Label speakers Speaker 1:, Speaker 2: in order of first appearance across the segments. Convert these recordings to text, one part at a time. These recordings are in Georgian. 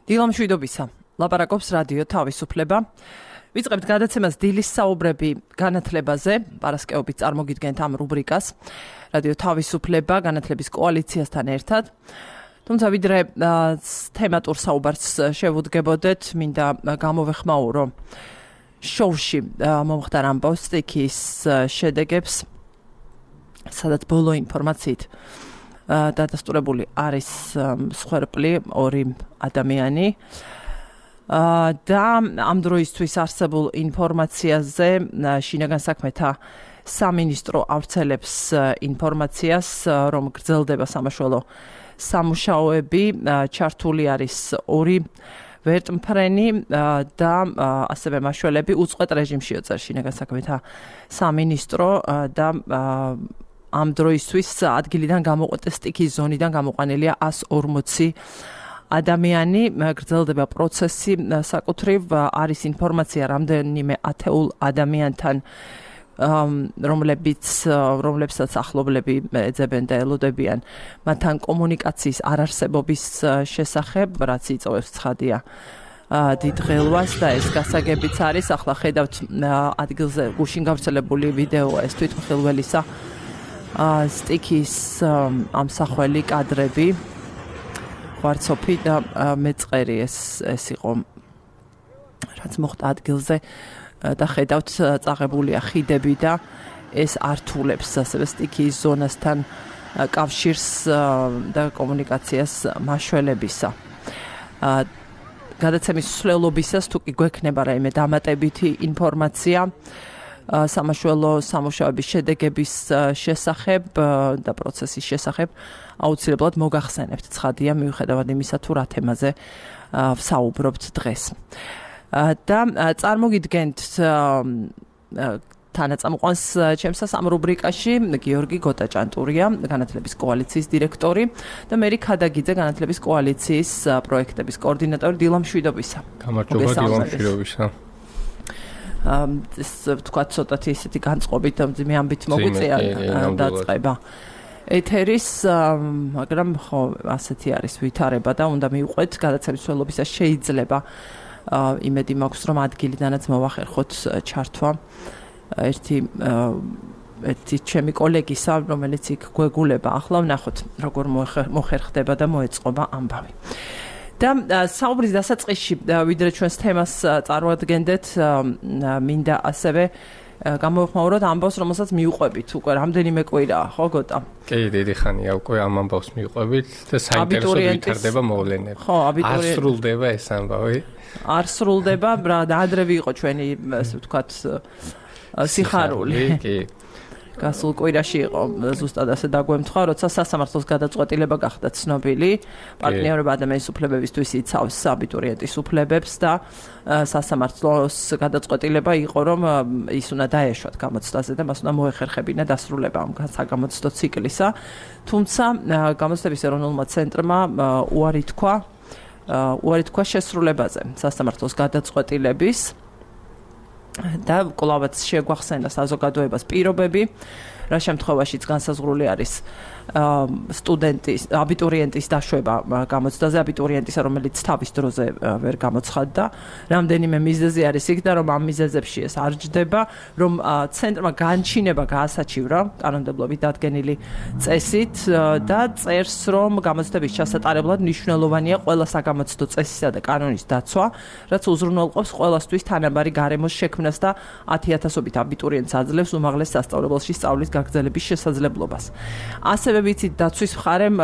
Speaker 1: დილამშვიდობისა. ლაპარაკობს რადიო თავისუფლება. ვიწყებთ გადაცემას დილის საუბრები განათლებაზე. პარასკევობით წარმოგიდგენთ ამ რუბრიკას. რადიო თავისუფლება განათლების კოალიციასთან ერთად. თუმცა ვიდრე თემატურ საუბარს შევუდგებოდეთ, მინდა გამოვეხმაურო შოუში მომხდარ ამბავს სტიქის შედეგებს, სადაც ბოლო ინფორმაციით დადასტურებული არის მსხვერპლი ორი ადამიანი და ამ დროისთვის არსებულ ინფორმაციაზე შინაგან საქმეთა სამინისტრო ავრცელებს ინფორმაციას, რომ გრძელდება სამაშველო სამუშაოები, ჩართული არის ორი ვერტმფრენი და ასევე მაშველები უწყვეტ რეჟიმში იოწერს შინაგან საქმეთა სამინისტრო და ამ დროისთვის ადგილიდან გამოყვეტეს სტიქის ზონიდან გამოყვანილია 140 ადამიანი. გრძელდება პროცესი, საკუთრივ არის ინფორმაცია რამდენიმე ათეულ ადამიანთან, რომლებსაც ახლობლები ეძებენ და ელოდებიან მათთან კომუნიკაციის არარსებობის შესახებ, რაც იწვევს ცხადია დიდ ღელვას და ეს გასაგებიც არის. ახლა ხედავთ ადგილზე გუშინ გავრცელებული ვიდეოა ეს თვითმხილველისა სტიქის ამსახველი კადრები, ღვარცოფი და მეწყერი ეს იყო რაც მოხდა ადგილზე და ხედავთ წაღებულია ხიდები და ეს ართულებს ასევე სტიქის ზონასთან კავშირს და კომუნიკაციას მაშველებისა. გადაცემის მსვლელობისას თუ კი გვექნება რაიმე დამატებითი ინფორმაცია სამაშველო სამუშაოების შედეგების შესახებ და პროცესის შესახებ, აუცილებლად მოგახსენებთ. ცხადია, მიუხედავად იმისა, თუ რა თემაზე ვსაუბრობთ დღეს. და წარმოგიდგენთ თანაწამყვანს ჩემსას ამ რუბრიკაში გიორგი გოტაჭანტურია, განათლების კოალიციის დირექტორი და მერი ქადაგიძე, განათლების კოალიციის პროექტების კოორდინატორი. დილამშვიდობისა.
Speaker 2: გამარჯობა, დილამშვიდობისა.
Speaker 1: ეს თქვა ცოტათი ისეთი განწყობით ძიმე ამბით მოგვიწია დაწყება ეთერის, მაგრამ ხო ასეთი არის ვითარება და უნდა მივყვეთ გადაცემის მსვლელობისას შეიძლება იმედი მაქვს, რომ ადგილიდანაც მოვახერხოთ ჩართვა ერთი ჩემი კოლეგისა, რომელიც იქ გვეგულება. ახლა ვნახოთ როგორ მოხერხდება და მოეწყობა ამბავი. და საუბრის დასაწყისში ვიდრე ჩვენს თემას წარმოადგენდეთ, მინდა ასევე გამოვხმაუროთ ამბავს, რომელსაც მიუყვებით უკვე რამდენიმე კვირაა, ხო გოტა?
Speaker 2: კი, დიდი ხანია უკვე ამ ამბავს მიუყვებით და საინტერესოდ ვითარდება მოვლენები.
Speaker 1: ხო,
Speaker 2: არ სრულდება ეს ამბავი.
Speaker 1: არ სრულდება, და ადრევე იყო ჩვენი, ასე ვთქვათ, სიხარული.
Speaker 2: კი.
Speaker 1: გასულ კვირაში იყო ზუსტად ასე დაგვემთხვა, როცა სასამართლოს გადაწყვეტილება გახდა ცნობილი. პარტნიორობა ადამიანის უფლებებისთვის იცავს აბიტურიენტის უფლებებს და სასამართლოს გადაწყვეტილება იყო, რომ ის უნდა დაეშვათ გამოცდაზე და მას უნდა მოეხერხებინა დასრულება ამ საგამოცდო ციკლისა. თუმცა გამოცდების ეროვნულმა ცენტრმა უარი თქვა შესრულებაზე სასამართლოს გადაწყვეტილების და კვლავაც შეგვახსენდა საზოგადოებას პირობები, რა შემთხვევაშიც განსაზღვრული არის სტუდენტის, აბიტურიენტის დაშვება გამოცდაზე, აბიტურიენტისა, რომელიც თავის დროზე ვერ გამოცხადდა. რამდენიმე მიზეზი არის იქ და რომ ამ მიზეზებში ეს არ ჯდება, რომ ცენტრმა განჩინება გაასაჩივრა კანონმდებლობით დადგენილი წესით და წერს, რომ გამოცდების ჩასატარებლად მნიშვნელოვანია ყველა საგამოცდო წესისა და კანონის დაცვა, რაც უზრუნველყოფს ყველასთვის თანაბარი გარემოს შექმნას და 10,000-ობით აბიტურიენტს აძლევს უმაღლეს სასწავლებელში სწავლის გაგრძელების შესაძლებლობას. ასევე ვიცით დაცვის მხარემ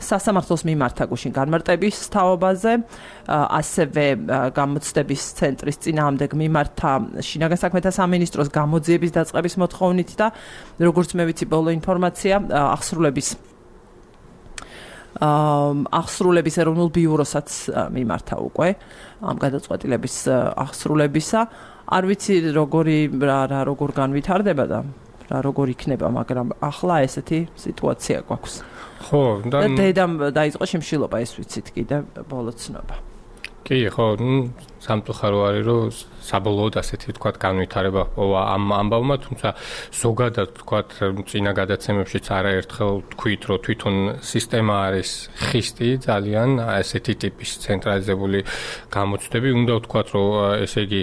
Speaker 1: სასამართლოს მიმართა გუშინ განმარტების თაობაზე, ასევე გამოცდების ცენტრის წინააღმდეგ მიმართა შინაგან საქმეთა სამინისტროს გამოძიების დაწყების მოთხოვნით და როგორც მე ვიცი ბოლო ინფორმაცია აღსრულების ეროვნულ ბიუროსაც მიმართა უკვე ამ გადაწყვეტილების აღსრულებისა. არ ვიცი როგორ განვითარდება და როგორ იქნება, მაგრამ ახლა ესეთი სიტუაცია გვაქვს.
Speaker 2: ხო, და
Speaker 1: დედამ დაიწყო შიმშილობა, ეს ვიცით კიდე ბოლო ცნობა.
Speaker 2: კი, ხო, სამწუხარო არის, რომ საბოლოოდ ასეთი თქვათ განვითარება ჰპოვა ამ ამბავმა, თუმცა ზოგადად თქვათ წინა გადაცემებშიც არაერთხელ თქვით, რომ თვითონ სისტემა არის ხისტი ძალიან ასეთი ტიპის ცენტრალიზებული გამოცდები. უნდა ვთქვათ, რომ ესე იგი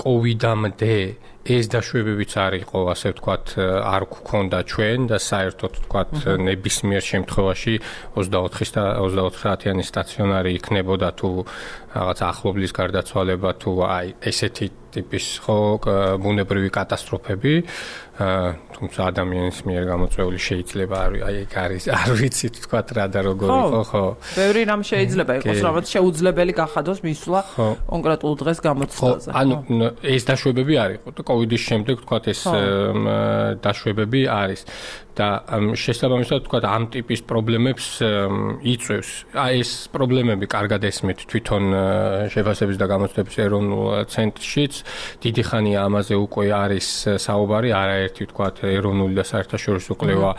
Speaker 2: კოვიდამდე ეს დაშვებებიც არ იყო, ასე ვთქვათ, არ გქონდა ჩვენ და საერთოდ ვთქვათ ნებისმიერ შემთხვევაში 24-30-იანი სტაციონარი იქნებოდა თუ რაღაც ახლობლის გარდაცვალება თუ აი ესეთი ტიპის ხო ბუნებრივი კატასტროფები, თუმცა ადამიანის მიერ გამოწვეული შეიძლება არ ვიცი თქვათ რა და როგორ იყო, ხო.
Speaker 1: ბევრი რამ შეიძლება იყოს, რაღაც შეუძლებელი გახადოს მისვლა კონკრეტულ დღეს გამოცდაზე.
Speaker 2: ანუ ეს დაშვებები არ იყო და კოვიდის შემდეგ თქვათ ეს დაშვებები არის და შესაბამისად თქვათ ამ ტიპის პრობლემებს იწვევს. ეს პრობლემები კარგად ესმით თვითონ შეფასების და გამოცდების ეროვნულ ცენტრშიც. დიდი ხანია ამაზე უკვე არის საუბარი, არაერთი თქვათ ეროვნული და საერთაშორისო კვლევა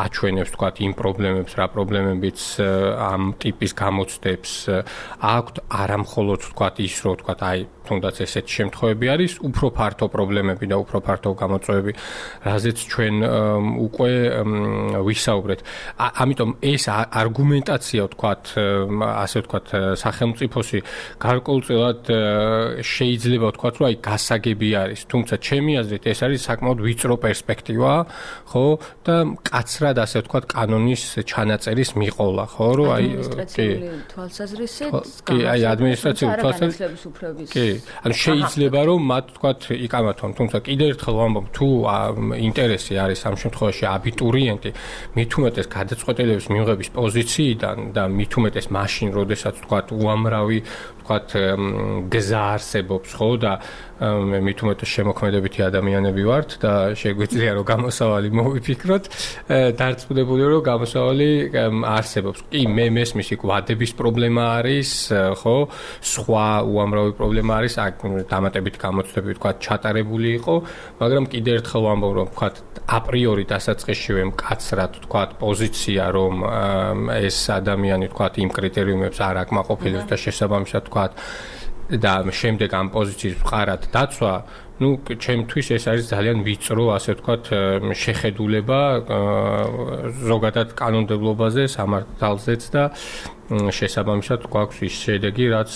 Speaker 2: აჩვენებს თქვათ იმ პრობლემებს, რა პრობლემებიც ამ ტიპის გამოცდებს აქვთ, არა მხოლოდ თქვათ ის, რომ თქვათ აი თუნდაც ესეთი შემთხვევები არის, უფრო ფართო პრობლემები და უფრო ფართო გამოწვევები, რაზეც ჩვენ უკვე ვისაუბრეთ. ამიტომ ეს არგუმენტაცია თქვათ, ასე ვთქვათ, სახელმწიფოსი გარკვეულწილად შეიძლება ვთქვათ, რომ აი გასაგები არის, თუმცა ჩემი აზრით ეს არის საკმაოდ ვიწრო პერსპექტივა, ხო? და მკაცრად ასე ვთქვათ, კანონის ჩანაწერის მიყოლა, ხო? რომ აი
Speaker 3: ადმინისტრაციული თვალსაზრისით,
Speaker 2: კი, აი ადმინისტრაციული თვალსაზრისით. კი, ანუ შეიძლება რომ მათ ვთქვათ იკამათონ, თუმცა კიდევ ერთხელ ვამბობ, თუ ინტერესი არის ამ შემთხვევაში აბიტურიენტი, მით უმეტეს გადაწყვეტილების მიღების პოზიციიდან და მით უმეტეს მაშინ, როდესაც ვთქვათ უამრავი ვთქვათ გზა არსებობს, ხო და მე მით უმეტეს შემოქმედებითი ადამიანები ვართ და შეგვიძლია რომ გამოსავალი მოვიფიქროთ, დარწმუნებული რომ გამოსავალი არსებობს. კი, მე მესმის იქ ვადების პრობლემა არის, ხო, სხვა უამრავი პრობლემა არის, დამატებით გამოცდები ვთქვათ ჩატარებული იყო, მაგრამ კიდევ ერთხელ ვამბობ, რომ ვთქვათ აპრიორი დასაწყისშივე მკაცრად ვთქვათ პოზიცია, რომ ეს ადამიანი ვთქვათ იმ კრიტერიუმებს არ აკმაყოფილებს და შესაბამისად ვთქვათ და შემდეგ ამ პოზიციის ვყარად დაცვა, ну, ჩემთვის ეს არის ძალიან ვიწრო, ასე ვთქვათ, შეხედულება ზოგადად კანონმდებლობაზე, სამართალზეც და შესაბამისად გვაქვს ის შედეგი, რაც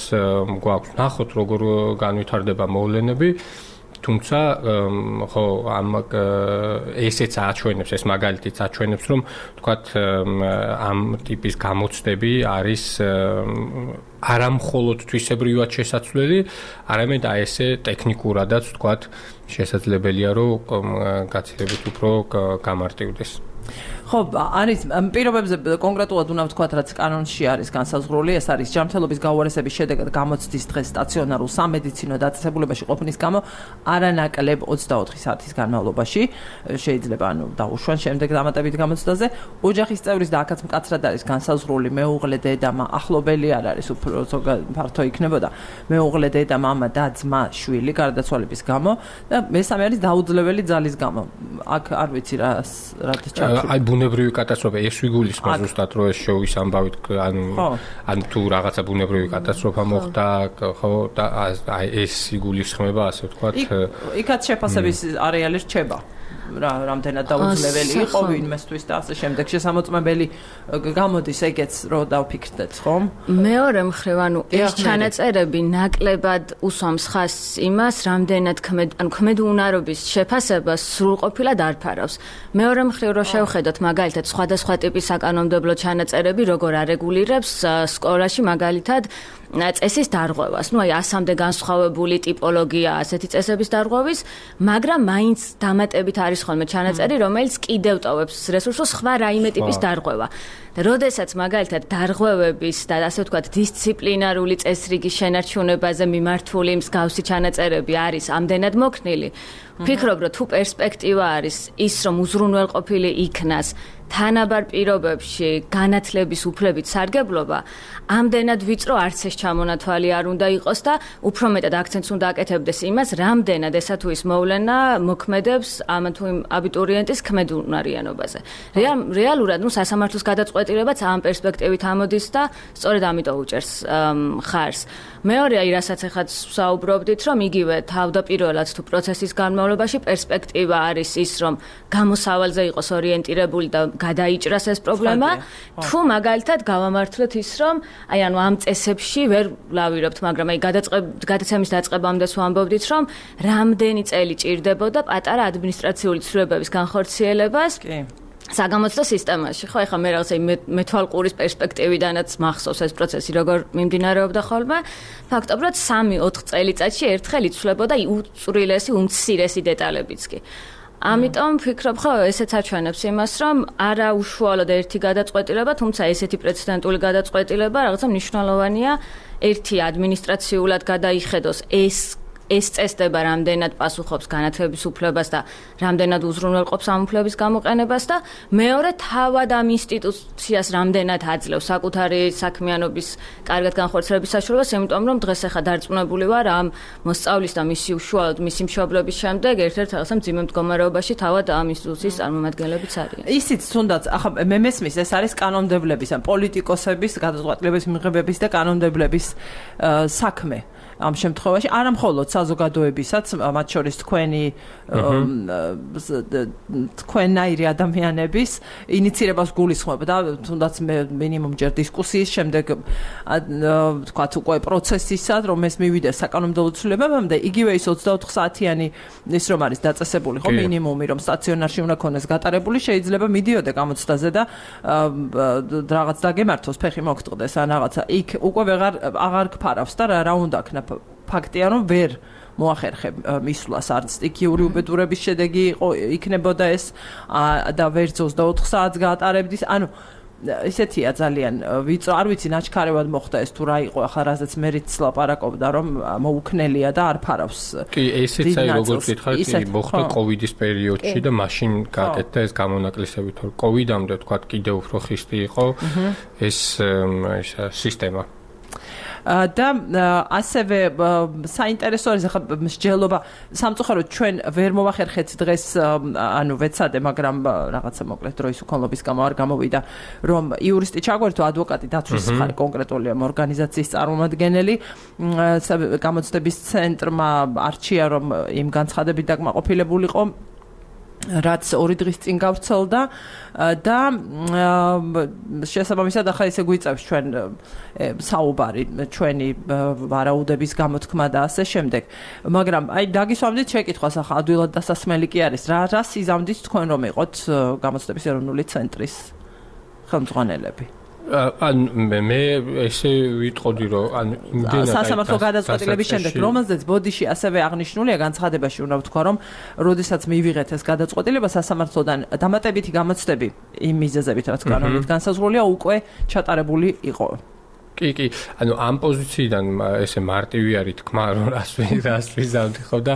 Speaker 2: გვაქვს. ნახოთ, როგორ განვითარდება მოვლენები. თუმცა ხო ამ ესეც აჩვენებს, ეს მაგალითიც აჩვენებს, რომ ვთქვათ ამ ტიპის გამოცდები არის არა მხოლოდ თვისებრივად შესაძლებელი, არამედ აი ესე ტექნიკურადაც ვთქვათ შესაძლებელია, რომ გაცილებით უფრო გამარტივდეს.
Speaker 1: ხო, არის პირობებზე კონკრეტულად უნდა ვთქვათ, რაც კანონში არის განსაზღვრული, ეს არის ჯანმრთელობის გაუარესების შედეგად გამოცდის დღეს სტაციონარულ სამედიცინო დაწესებულებაში ყოფნის გამო არანაკლებ 24 საათის განმავლობაში შეიძლება დაუშვან შემდეგ დამატებით გამოცდაზე. ოჯახის წევრის და აქაც მკაცრად არის განსაზღვრული მეუღლე დედამა, ახლობელი არ არის, უფრო ფართო იქნებოდა მეუღლე დედა, მამა და ძმა, შვილი გარდაცვალების გამო და მესამე არის დაუძლეველი ძალის გამო. აქ არ ვიცი რა
Speaker 2: აი ბუნებრივი კატასტროფა ეს ვიგულისხმობ ზუსტად რომ ეს შოუის ამბავით ანუ თუ რაღაცა ბუნებრივი კატასტროფა მოხდა ხო და აი ეს იგულისხმება ასე ვთქვათ
Speaker 1: იქაც შეფასების არეალი რჩება რამდენად დაუძლეველი იყო ვინმესთვის და ასე შემდეგ შესამოწმებელი გამოდის ეგეც რომ დავფიქრდეთ ხომ
Speaker 3: მეორე მხრივ ანუ ეს ჩანაწერები ნაკლებად უსვამს ხაზს იმას რამდენად ქმედუნარობის შეფასებას სრულყოფილად არ ფარავს მეორე მხრივ რომ შევხედოთ მაგალითად სხვადასხვა ტიპის საკანონმდებლო ჩანაწერები როგორ არეგულირებს სკოლაში მაგალითად წესის დარღვევას. Ну, აი, ასამდე განსხვავებული ტიპოლოგია ასეთი წესების დარღვევის, მაგრამ მაინც დამატებით არის ხოლმე ჩანაწერი, რომელიც კიდევ ტოვებს რესურსს სხვა რაიმე ტიპის დარღვევა. და როდესაც მაგალითად დარღვევების და ასე ვთქვათ დისციპლინარული წესრიგის შენარჩუნებაზე მიმართული მსგავსი ჩანაწერები არის ამდენად მოქნილი, ვფიქრობ, რომ თუ პერსპექტივა არის ის, რომ უზრუნველყოფილი იქნას თანაბარ პირობებში განათლების უფლებით სარგებლობა, ამდენად ვიწრო არც ეს ჩამონათვალი არ უნდა იყოს და უფრო მეტად აქცენტს უნდა აკეთებდეს იმას, რამდენად ესა თუ ის მოვლენა მოქმედებს ამ თუ იმ აბიტურიენტის ქმედუნარიანობაზე. რეალურად, ну, სასამართლოს გადაწყვეტილება გადაწყვეტილებაც ამ პერსპექტივით ამოდის და სწორედ ამიტომ უჭერს ხარს. მეორე, რასაც ახაც საუბრობდით, რომ იგივე თავდაპირველად თუ პროცესის განმავლობაში პერსპექტივა არის ის, რომ გამოსავალზე იყოს ორიენტირებული და გადაიჭრას ეს პრობლემა, თუ მაგალითად გავამართლეთ ის, რომ ამ წესებში ვერ ვლავირებთ, მაგრამ გადაცემის დაწყებამდე ვამბობდით, რომ რამდენი წელი ჭირდებოდა პატარა ადმინისტრაციული ცვლილებების განხორციელებას საგამოცდო სისტემაში. ხო, ეხლა მე რაღაცა მეთვალყურის პერსპექტივიდანაც მახსოვს ეს პროცესი როგორ მიმდინარეობდა ხოლმე. ფაქტობრივად 3-4 წელიწადში ერთხელ იცვლებოდა უწვრილესი, უმცირესი დეტალებიც კი. ამიტომ ვფიქრობ, ხო, ესეც აჩვენებს იმას, რომ არა უშუალოდ ერთი გადაწყვეტილება, თუმცა ესეთი პრეცედენტული გადაწყვეტილება რაღაცა მნიშვნელოვანია, ერთი ადმინისტრაციულად გადაიხედოს ეს წესდება რამდენად პასუხობს განათლების უფლებას და რამდენად უზრუნველყოფს ამ უფლების გამოყენებას და მეორე თავად ამ ინსტიტუციას რამდენად აძლევს საკუთარი საქმიანობის კარგად განხორციელების საშუალებას, იმიტომ რომ დღეს ახლა დარწმუნებული ვარ ამ მოსწავლის და მისი უშუალოდ მისი მშობლების შემდეგ ერთ-ერთ რაღაცა მძიმე მდგომარეობაში თავად ამ ინსტიტუციის წარმომადგენლებიც არიან.
Speaker 1: ისიც თუნდაც ახლა მე მესმის ეს არის კანონმდებლების ან პოლიტიკოსების გადაწყვეტილების მიღებების და კანონმდებლების საქმე. ამ შემთხვევაში არა მხოლოდ საზოგადოებისაც, მათ შორის თქვენნაირი ადამიანების ინიციირებას გულისხმობ და თუნდაც მინიმუმ ჯერ დისკუსიის შემდეგ თქვათ უკვე პროცესისად, რომ ეს მივიდეს საკანონმდებლო ცვლილებებამდე, იგივე ის 24 საათიანი ის რომ არის დაწესებული, ხო, მინიმუმი რომ სტაციონარში უნდა ქონდეს გატარებული, შეიძლება მიდიოდე გამოცდაზე და რაღაც დაგემართოს, ფეხი მოგტყდეს ან რაღაცა. იქ უკვე აღარ გფარავს და რა უნდა ქნა ფაქტია რომ ვერ მოახერხებ მისვლას არც სტიქიური უბედურების შედეგი იქნებოდა ეს და ვერ 24 საათს გაატარებდის. ანუ ისეთია ძალიან ვიწრო, არ ვიცი ნაჩქარევად მოხდა ეს თუ რა იყო, ახლა რაზეც მერიც ლაპარაკობდა რომ მოუქნელია და არ ფარავს.
Speaker 2: კი, ესეც აი როგორც ვითხარით, მოხდა კოვიდის პერიოდში და მაშინ გაკეთდა ეს გამონაკლისები, თორე კოვიდამდე თქვა კიდევ უფრო ხისტი იყო ეს სისტემა.
Speaker 1: და ასევე საინტერესო არის ახლა მსჯელობა სამწუხაროდ ჩვენ ვერ მოვახერხეთ დღეს ანუ ვეცადე მაგრამ რაღაცა მოკლედ დროის უქონლობის გამო არ გამოვიდა რომ იურისტი ჩაგვერთო ადვოკატი დაცვის ხარ კონკრეტული ამ ორგანიზაციის წარმომადგენელი გამოცდების ცენტრმა არჩია რომ იმ განცხადებით დაკმაყოფილებულიყო რაც 2 დღის წინ გავრცელდა და შესაბამისად ახლა ესე გვიწევს ჩვენ საუბარი ჩვენი ვარაუდების გამოთქმა და ასე შემდეგ მაგრამ აი დაგისვამდით შეკითხვას ახლა ადვილად დასასმელი კი არის რა სიზამთრით თქვენ რომ იყოთ გამოცდების ეროვნული ცენტრის ხელმძღვანელები
Speaker 2: ან მე ესე ვიტყოდი რომ ან იმდენად
Speaker 1: სასამართლო გადაწყვეტილების შემდეგ რომელზეც ბოდიში ასევე აღნიშნულია განცხადებაში უნდა ვთქვა რომ როდესაც მივიღეთ ეს გადაწყვეტილება სასამართლოდან დამატებითი გამოცდები იმ მიზეზებით რაც კანონით განსაზღვრულია უკვე ჩატარებული იყო
Speaker 2: კი, ანუ ამ პოზიციიდან ესე მარტივი არის თქმა, რომ რას ვიზავდი ხო და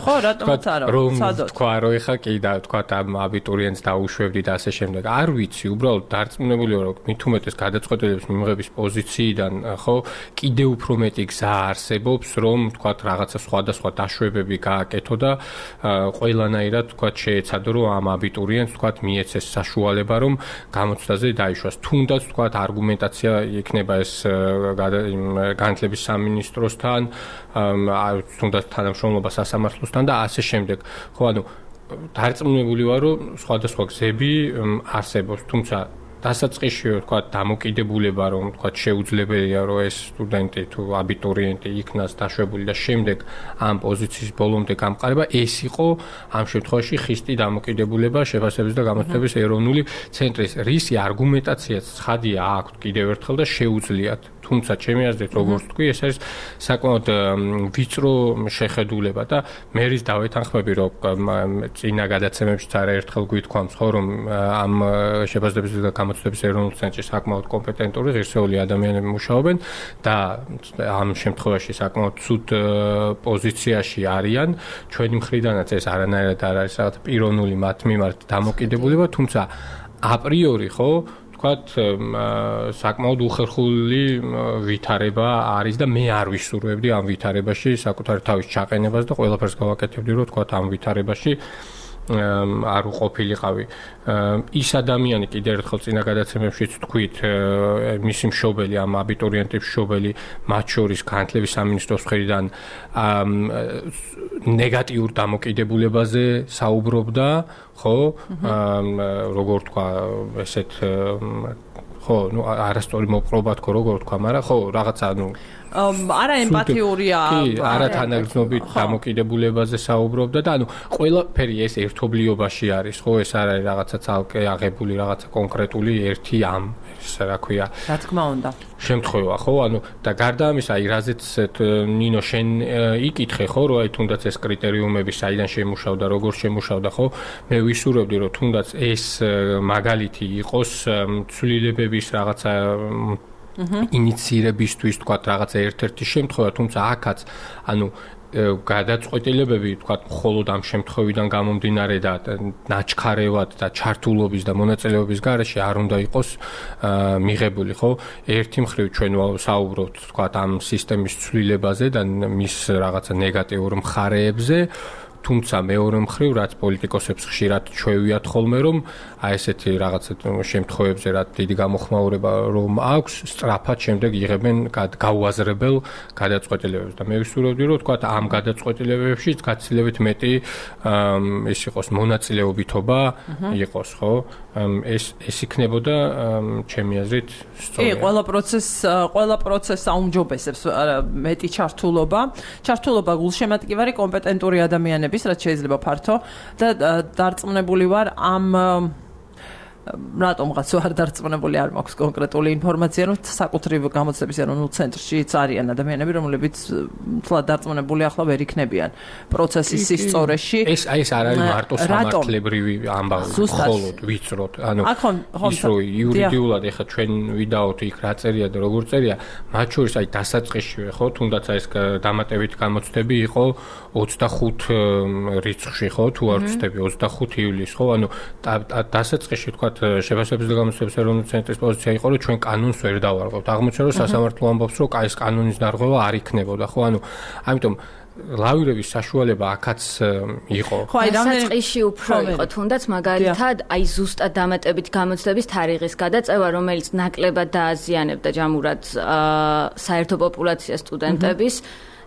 Speaker 2: რომ თქვა რომ ეხა კი და თქვა ამ აბიტურიენტს დაუშვებდი და ასე შემდეგ. არ ვიცი, უბრალოდ დარწმუნებული ვარ, რომ მით უმეტეს გადაწყვეტილების მიღების პოზიციიდან ხო კიდევ უფრო მეტი გზა არსებობს, რომ თქვა რაღაცა სხვადასხვა დაშვებები გააკეთო და ყველანაირად თქვა შეეცადო, რომ ამ აბიტურიენტს თქვა მიეცეს საშუალება, რომ გამოცდაზე დაიშვას. თუნდაც თქვა არგუმენტაცია იქნება ეს განათლების სამინისტროსთან, თუნდაც თანამშრომლობა სასამართლოსთან და ასე შემდეგ. ხო, ანუ დარწმუნებული ვარ, რომ სხვადასხვა გზები არსებობს, თუმცა დასაწყისში თქვა დამოკიდებულება რომ თქვა შეუძლებელია რომ ეს სტუდენტი თუ აბიტურიენტი იქნას დაშვებული და შემდეგ ამ პოზიციის ბოლომდე გამყარება ეს იყო ამ შემთხვევაში ხისტი დამოკიდებულება შეფასების და გამოცდების ეროვნული ცენტრის რისი არგუმენტაციაც ცხადია აქვთ კიდევ ერთხელ და შეუძლიათ თუმცა ჩემი აზრით როგორც თქვი ეს არის საკმაოდ ვიწრო შეხედულება და მე რის დავეთანხმები რომ წინა გადაცემებშიც არაერთხელ გვითქვამს ხო რომ ამ შეფასების და გამოცდების ეროვნულ ცენტრში საკმაოდ კომპეტენტური ღირსეული ადამიანები მუშაობენ და ამ შემთხვევაში საკმაოდ ცუდ პოზიციაში არიან ჩვენი მხრიდანაც ეს არანაირად არ არის რაღაც პიროვნული მათ მიმართ დამოკიდებულება თუმცა აპრიორი ხო საკმაოდ უხერხული ვითარება არის და მე არ ვისურვებდი ამ ვითარებაში საკუთარი თავის ჩაყენებას და ყველაფერს გავაკეთებდი რომ თქვა ამ ვითარებაში არ უყოფილიყავი. ის ადამიანი კიდევ ერთხელ წინა გადაცემებშიც თქვით, მისი მშობელი, ამ აბიტურიენტების მშობელი, მათ შორის განათლების სამინისტროს მხრიდან ნეგატიურ დამოკიდებულებაზე საუბრობდა, ხო? როგორ თქვა, ესეთ ხო, ну არასწორი მოპყრობა თქო, როგორ თქვა, მაგრამ ხო, რაღაცა,
Speaker 1: არა ემპათიურია.
Speaker 2: კი, არა თანაგრძნობით დამოკიდებულებაზე საუბრობდა და ყველაფერი ეს ერთობლიობაში არის, ხო, ეს არ არის რაღაცა ცალკე აღებული, რაღაცა კონკრეტული ერთი რა ქვია.
Speaker 1: რა თქმა უნდა.
Speaker 2: შემთხვევა, ხო? და გარდა ამისა, რაზეც ნინო შენ იკითხე, ხო, რომ თუნდაც ეს კრიტერიუმები საიდან შემუშავდა, როგორ შემუშავდა, ხო? მე ვისურვებდი, რომ თუნდაც ეს მაგალითი იყოს ცვლილებების რაღაცა ინიციირებისთვის, თქვათ, რაღაცა ერთ-ერთი შემთხვევა, თუმცა აქაც, გადაწყვეტილებები, თქვათ, მხოლოდ ამ შემთხვევიდან გამომდინარე და ნაჩქარევად და ჩართულობის და მონაწილეობის გარეშე არ უნდა იყოს მიღებული, ხო? ერთი მხრივ ჩვენ საუბრობთ, თქვათ, ამ სისტემის ცვლილებაზე და მის რაღაცა ნეგატიურ მხარეებზე, თუმცა მეორე მხრივ, რაც პოლიტიკოსებს ხშირად ჩვევიათ ხოლმე, რომ ესეთი რაღაცა შემთხვევებზე რა დიდი გამოხმაურება რომ აქვს, სწრაფად შემდეგ იღებენ გაუაზრებელ გადაწყვეტილებებს და მე ვისურვებდი, რომ თქვათ, ამ გადაწყვეტილებებში გაცილებით მეტი ის იყოს მონაწილეობითობა იყოს, ხო? ეს იქნებოდა ჩემი აზრით სწორი.
Speaker 1: კი, ყველა პროცესს აუმჯობესებს მეტი ჩართულობა. ჩართულობა გულშემატკივარი კომპეტენტური ადამიანების, რაც შეიძლება ფართო და დარწმუნებული ვარ ამ რატომღაც არ დარწმუნებული არ მაქვს კონკრეტული ინფორმაცია, რომ საკუთრივ გამოცდების ეროვნულ ცენტრშიც არიან ადამიანები, რომლებიც თლად დარწმუნებული ახლა ვერ იქნებიან პროცესის სისწორეში.
Speaker 2: ეს არ არის მარტო სამართლებრივი ამბავი, მხოლოდ ვიწროთ. ის რო იურიდიულად ეხლა ჩვენ ვიდაოთ იქ რა წერია და როგორ წერია, მათ შორის დასაწყისშივე, ხო, თუნდაც ეს დამატებითი გამოცდები იყო 25 რიცხვში, ხო, თუ არ ვცდები 25 ივლისს, ხო, დასაწყისში თქვა შეფასებების და გამოცდების ეროვნული ცენტრის პოზიცია იყო, რომ ჩვენ კანონს ვერ დავარღვევთ. აღმოჩნდა, რომ სასამართლო ამბობს, რომ ეს კანონის დარღვევა არ იქნებოდა, ხო? ამიტომ ლავირების საშუალება აქაც იყო.
Speaker 3: ხო, დასაწყისში უფრო იყო, თუნდაც მაგალითად, ზუსტად დამატებით გამოცდების თარიღის გადაწევა, რომელიც ნაკლებად დააზიანებდა ჯამურად საერთო პოპულაციას სტუდენტების.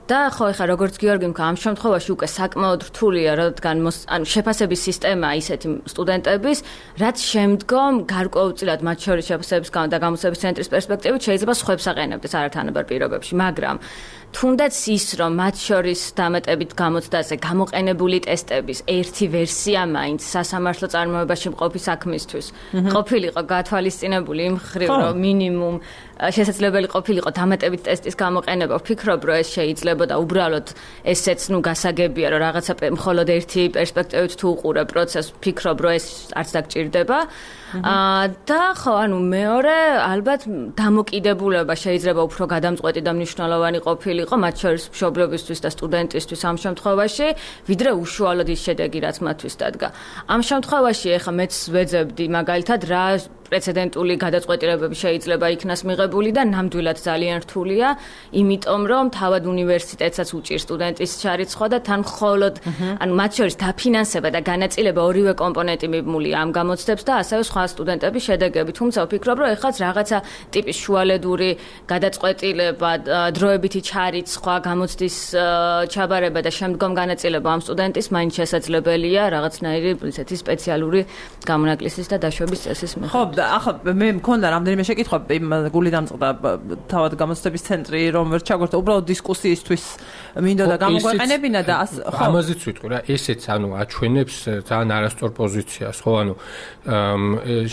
Speaker 3: და ხო, ეხლა როგორც გიორგი მქა, ამ შემთხვევაში უკვე საკმაოდ რთულია, რადგან შეფასების სისტემა ისეთი სტუდენტების, რაც შემდგომ გარკვეულწილად მათ შორის შეფასების და გამოცდების ცენტრის პერსპექტივით შეიძლება სხვებს აყენებდეს არათანაბარ პირობებში, მაგრამ თუნდაც ის, რომ მათ შორის დამატებით გამოცდაზე გამოყენებული ტესტების ერთი ვერსია მაინც სასამართლო წარმოებაში მყოფი საქმისთვის ყოფილიყო გათვალისწინებული იმ მხრივ, რომ მინიმუმ შესაძლებელი ყოფილიყო დამატებით ტესტის გამოყენება, ვფიქრობ, რომ ეს შეიძლება და უბრალოდ ესეც გასაგებია, რომ რაღაცა მხოლოდ ერთი პერსპექტივით თუ უყურებ პროცესს, ვფიქრობ, რომ ეს არც დაგჭირდება. და ხო, მეორე ალბათ დამოკიდებულება შეიძლება უფრო გადამწყვეტი და მნიშვნელოვანი ყოფილიყო მათ შორის მშობლებისთვის და სტუდენტისთვის ამ შემთხვევაში, ვიდრე უშუალოდ ის შედეგი, რაც მათთვის დადგა. ამ შემთხვევაში ეხლა მეც ვეძებდი მაგალითად რა პრეცედენტული გადაწყვეტილებები შეიძლება იქნას მიღებული და ნამდვილად ძალიან რთულია, იმიტომ რომ თავად უნივერსიტეტსაც უჭირს სტუდენტის ჩარიცხვა და თან მხოლოდ მათ შორის დაფინანსება და განაწილება ორივე კომპონენტი მიბმულია ამ გამოცდებს და ასევე სხვა სტუდენტების შედეგები. თუმცა ვფიქრობ, რომ ეხლა რაღაცა ტიპის შუალედური გადაწყვეტილება, დროებითი ჩარიცხვა, გამოცდის ჩაბარება და შემდგომ განაწილება ამ სტუდენტის მაინც შესაძლებელია რაღაცნაირი ისეთი სპეციალური გამონაკლისის და დაშვების წესის მიხედვით.
Speaker 1: ახლა მე მქონდა რამდენიმე შეკითხვა გული დამწყდა თავად გამოცდების ცენტრი რომ ვერ ჩაგვერთა უბრალოდ დისკუსიისთვის მინდოდა გამოგვეყენებინა და
Speaker 2: ხო ამაზეც ვიტყვი რა ესეც აჩვენებს ძალიან არასწორ პოზიციას ხო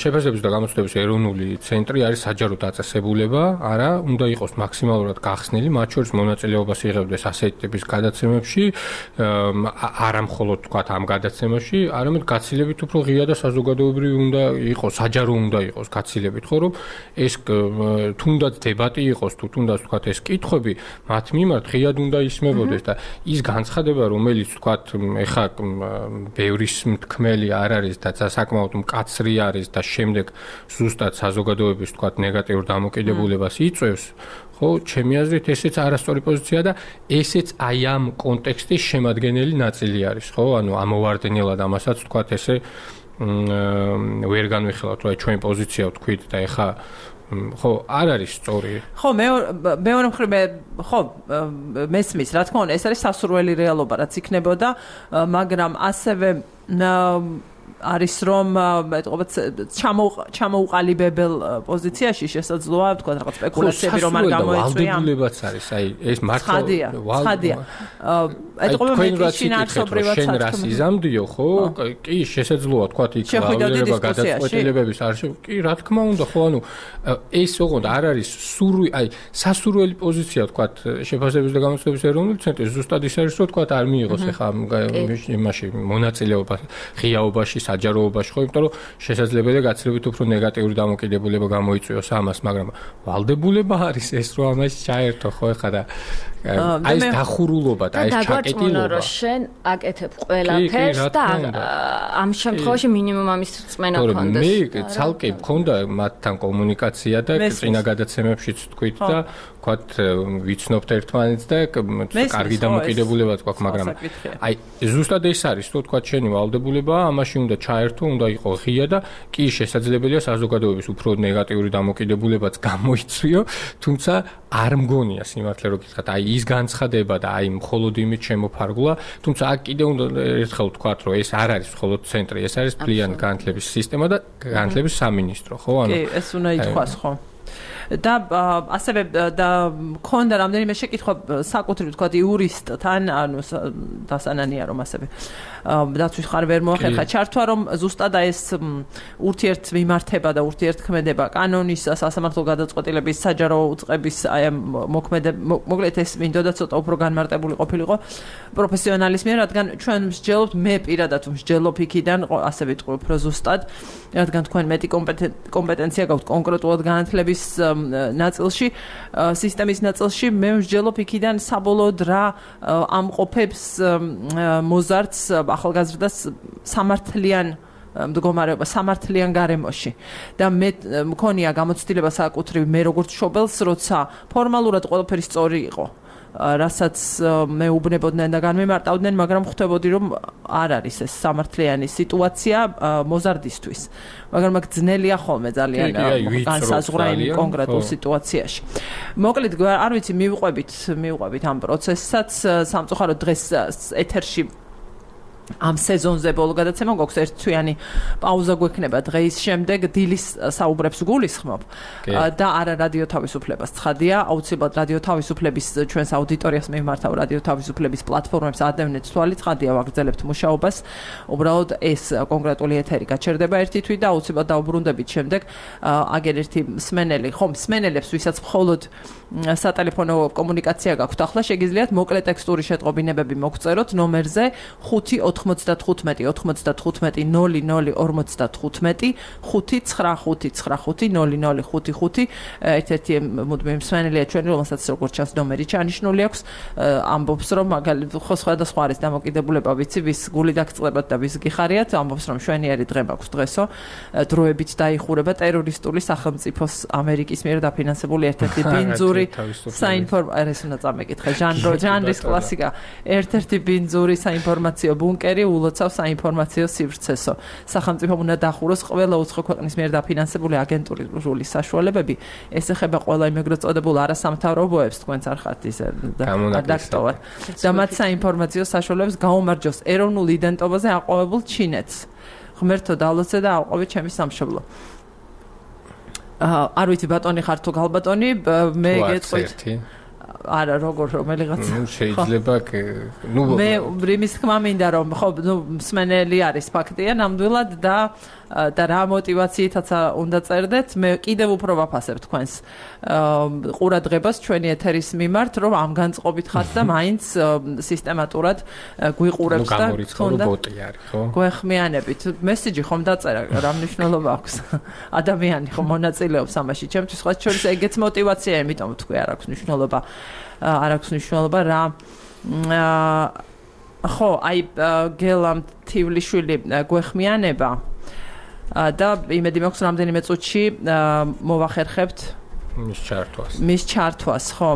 Speaker 2: შეფასებების და გამოცდების ეროვნული ცენტრი არის საჯარო დაწესებულება არა უნდა იყოს მაქსიმალურად გახსნილი მათ შორის მონაწილეობას იღებდეს ასეთი ტიპის გადაცემებში არა მხოლოდ თქვა ამ გადაცემაში არამედ გაცილებით უფრო ღია და საზოგადოებრივი უნდა იყოს საჯარო უნდა უნდა იყოს გაცილებით ხო რომ ეს თუნდაც დებატი იყოს თუ თუნდაც თქვათ ეს კითხვები მათ მიმართ ღიად უნდა ისმებოდეს და ის განცხადება რომელიც თქვათ ეხა ბევრის მთქმელი არ არის და საკმაოდ მკაცრი არის და შემდეგ ზუსტად საზოგადოების თქვათ ნეგატიურ დამოკიდებულებას იწვევს ხო ჩემი აზრით ესეც არასწორი პოზიცია და ესეც აი ამ კონტექსტის შემადგენელი ნაწილი არის ხო ანუ ამოვარდნილად ამასაც თქვათ ესე ვერ განვიხილავთ რა ჩვენ პოზიცია ვთქვით და ეხა ხო არ არის სწორი
Speaker 1: ხო მეორე მხრივ ხო მესმის რა თქმა უნდა ეს არის სასურველი რეალობა რაც იქნებოდა მაგრამ ასევე არის რომ მეტყობა ჩამოუყალიბებელ პოზიციაში შესაძლოა თქვა რაღაც სპეკულაციები რომ არ გამოიწვია
Speaker 2: ვალდებულებაც არის აი ეს მართლა
Speaker 1: ხადია ეტყობა შინაარსობრივად
Speaker 2: შენ რას იზამდიო ხო კი შესაძლოა თქვა იქ ვალდებულება გადაწყვეტილებების არ კი რა თქმა უნდა ხო ანუ ეს ოღონდ არ არის აი სასურველი პოზიცია თქვა შეფასების და გამოცდების ეროვნული ცენტრი ზუსტად ის არის რომ თქვა არ მიიღოს ეხა იმაში მონაწილეობა ღიაობაში საჯაროობაში ხო იმიტომ რომ შესაძლებელია გაცილებით უფრო ნეგატიური დამოკიდებულება გამოიწვიოს ამას მაგრამ ვალდებულება არის ეს რომ ამას ჩაერთო ხო ეხა და აი ეს დახურულობა და ეს ჩაკეტილობა
Speaker 3: რომ შენ აკეთებ ყველაფერს და ამ შემთხვევაში მინიმუმ ამის წმენა გქონდეს
Speaker 2: მე ცალკე მქონდა მათთან კომუნიკაცია და წინა გადაცემებშიც თქვით და ვთქვათ ვიცნობთ ერთმანეთს და კარგი დამოკიდებულებაც გვაქვს მაგრამ აი ზუსტად ეს არის რომ ვთქვათ შენი ვალდებულება ამაში უნდა ჩაერთო უნდა იყოს ღია და კი შესაძლებელია საზოგადოების უფრო ნეგატიური დამოკიდებულებაც გამოიწვიო თუმცა არ მგონია სიმართლე რომ გითხრათ აი ის განცხადება და აი მხოლოდ იმით შემოფარგლა თუმცა აქ კიდე უნდა ერთხელ ვთქვათ რომ ეს არ არის მხოლოდ ცენტრი ეს არის მთლიანი განათლების სისტემა და განათლების სამინისტრო ხო
Speaker 1: ანუ კი ეს უნდა ითქვას ხო და ასევე და მქონდა რამდენიმე შეკითხვა საკუთრივ თქვათ იურისტთან ანუ დასანანია რომ ასევე დაცვის ხარ ვერ მოახერხა ჩართვა რომ ზუსტად ეს ურთიერთმიმართება და ურთიერთქმედება კანონის სასამართლო გადაწყვეტილების საჯარო უწყების აი მოკლედ ეს მინდოდა ცოტა უფრო განმარტებული ყოფილიყო პროფესიონალის მიერ რადგან ჩვენ მსჯელობთ მე პირადად მსჯელობ იქიდან ასე ვიტყვი უფრო ზუსტად რადგან თქვენ მეტი კომპეტენცია გაქვთ კონკრეტულად განათლების ნაწილში სისტემის ნაწილში მე მსჯელობ იქიდან საბოლოოდ რა ამყოფებს მოზარდს ახალგაზრდას სამართლიან მდგომარეობა სამართლიან გარემოში და მე მქონია გამოცდილება საკუთრივ მე როგორც მშობელს როცა ფორმალურად ყველაფერი სწორი იყო რასაც მეუბნებოდნენ და განმემარტავდნენ მაგრამ ხვდებოდი რომ არ არის ეს სამართლიანი სიტუაცია მოზარდისთვის მაგრამ აქ ძნელია ხოლმე ძალიან განსაზღვრა იმ კონკრეტულ სიტუაციაში მოკლედ არ ვიცი მივყვებით ამ პროცესსაც სამწუხაროდ დღეს ეთერში ამ სეზონზე ბოლო გადაცემა გვაქვს ერთთვიანი პაუზა გვექნება დღის შემდეგ დილის საუბრებს გულისხმობ და არა რადიო თავისუფლებას ცხადია აუცილებლად რადიო თავისუფლების ჩვენს აუდიტორიას მიმართავ რადიო თავისუფლების პლატფორმებს ადევნეთ თვალი ცხადია ვაგრძელებთ მუშაობას უბრალოდ ეს კონკრეტული ეთერი გაჩერდება ერთი თვით და აუცილებლად დაუბრუნდებით შემდეგ აგერ ერთი მსმენელი მსმენელებს ვისაც მხოლოდ სატელეფონო კომუნიკაცია გაქვთ ახლა შეგიძლიათ მოკლე ტექსტური შეტყობინებები მოგწეროთ ნომერზე 5-95-00-55-00-55 ერთ-ერთი მუდმივი მსმენელია ჩვენი რომელსაც როგორც ჩანს ნომერი ჩანიშნული აქვს ამბობს რომ ხო სხვადასხვა არის დამოკიდებულება ვიცი ვის გული დაგწყდებათ და ვის გიხარიათ ამბობს რომ შვენიერი დღე მაქვს დღესო დროებით დაიხურება ტერორისტული სახელმწიფოს ამერიკის მიერ დაფინანსებული ერთ-ერთი ბინძური საინფორმაციო ეს უნდა წამეკითხე ჟანრის კლასიკა ერთ-ერთი ბინძური საინფორმაციო ბუნკერი ულოცავს საინფორმაციო სივრცესო. სახელმწიფომ უნდა დახუროს ყველა უცხო ქვეყნის მიერ დაფინანსებული აგენტურული საშუალებები. ეს ეხება ყველა იმ ეგრეთ წოდებულ არასამთავრობოებს, თქვენც არ ხართ ისე დაქტოვად. და მათ საინფორმაციო საშუალებებს გაუმარჯოს ეროვნულ იდენტობაზე აყვავებულ ჩინეთს. ღმერთო დალოცე და აყვავე ჩემი სამშობლო. არ ვიცი ბატონი ხარ თუ გალბატონი, მე გეტყვით. არა როგორ რომელიღაც
Speaker 2: შეიძლება
Speaker 1: მე იმის თქმა მინდა რომ ხო მსმენელი არის ფაქტია ნამდვილად და რა мотивაციითაც უნდა წერდეთ მე კიდევ უფრო ვაფასებ თქვენს ყურადღებას ჩვენი ეთერის მიმართ რომ ამ განწყობით ხართ და მაინც სისტემატურად გვიყურებთ და
Speaker 2: თუნდა ბოტი არის ხო
Speaker 1: გვეხმიანებით მესიჯი ხომ დაწერა რა მნიშვნელობა აქვს ადამიანი ხომ მონაწილეობს ამაში ჩემთვის სხვა შორის ეგეც мотивაცია იმიტომ თქვი არ აქვს მნიშვნელობა რა ხო აი გელამ თივლიშვილი გვეხმიანება და იმედი მაქვს რამდენიმე წუთში მოვახერხებთ მის ჩართვას ხო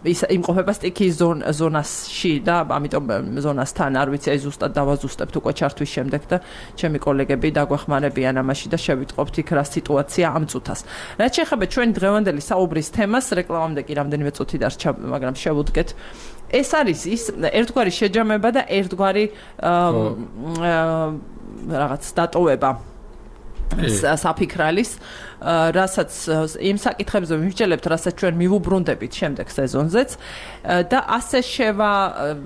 Speaker 1: ის იმყოფება სტიქიის ზონაში და ამიტომ ზონასთან არ ვიცი აი ზუსტად დავაზუსტებთ უკვე ჩართვის შემდეგ და ჩემი კოლეგები დაგვეხმარებიან ამაში და შევიტყობთ იქ რა სიტუაცია ამ წუთას. რაც შეეხება ჩვენი დღევანდელი საუბრის თემას, რეკლამამდე კი რამდენიმე წუთი დარჩა, მაგრამ შევუდგეთ. ეს არის ის ერთგვარი შეჯამება და ერთგვარი რაღაც დატოვება საფიქრალის რასაც იმ საკითხებზე ვიმსჯელებთ, რასაც ჩვენ მივუბრუნდებით შემდეგ სეზონზეც და ასე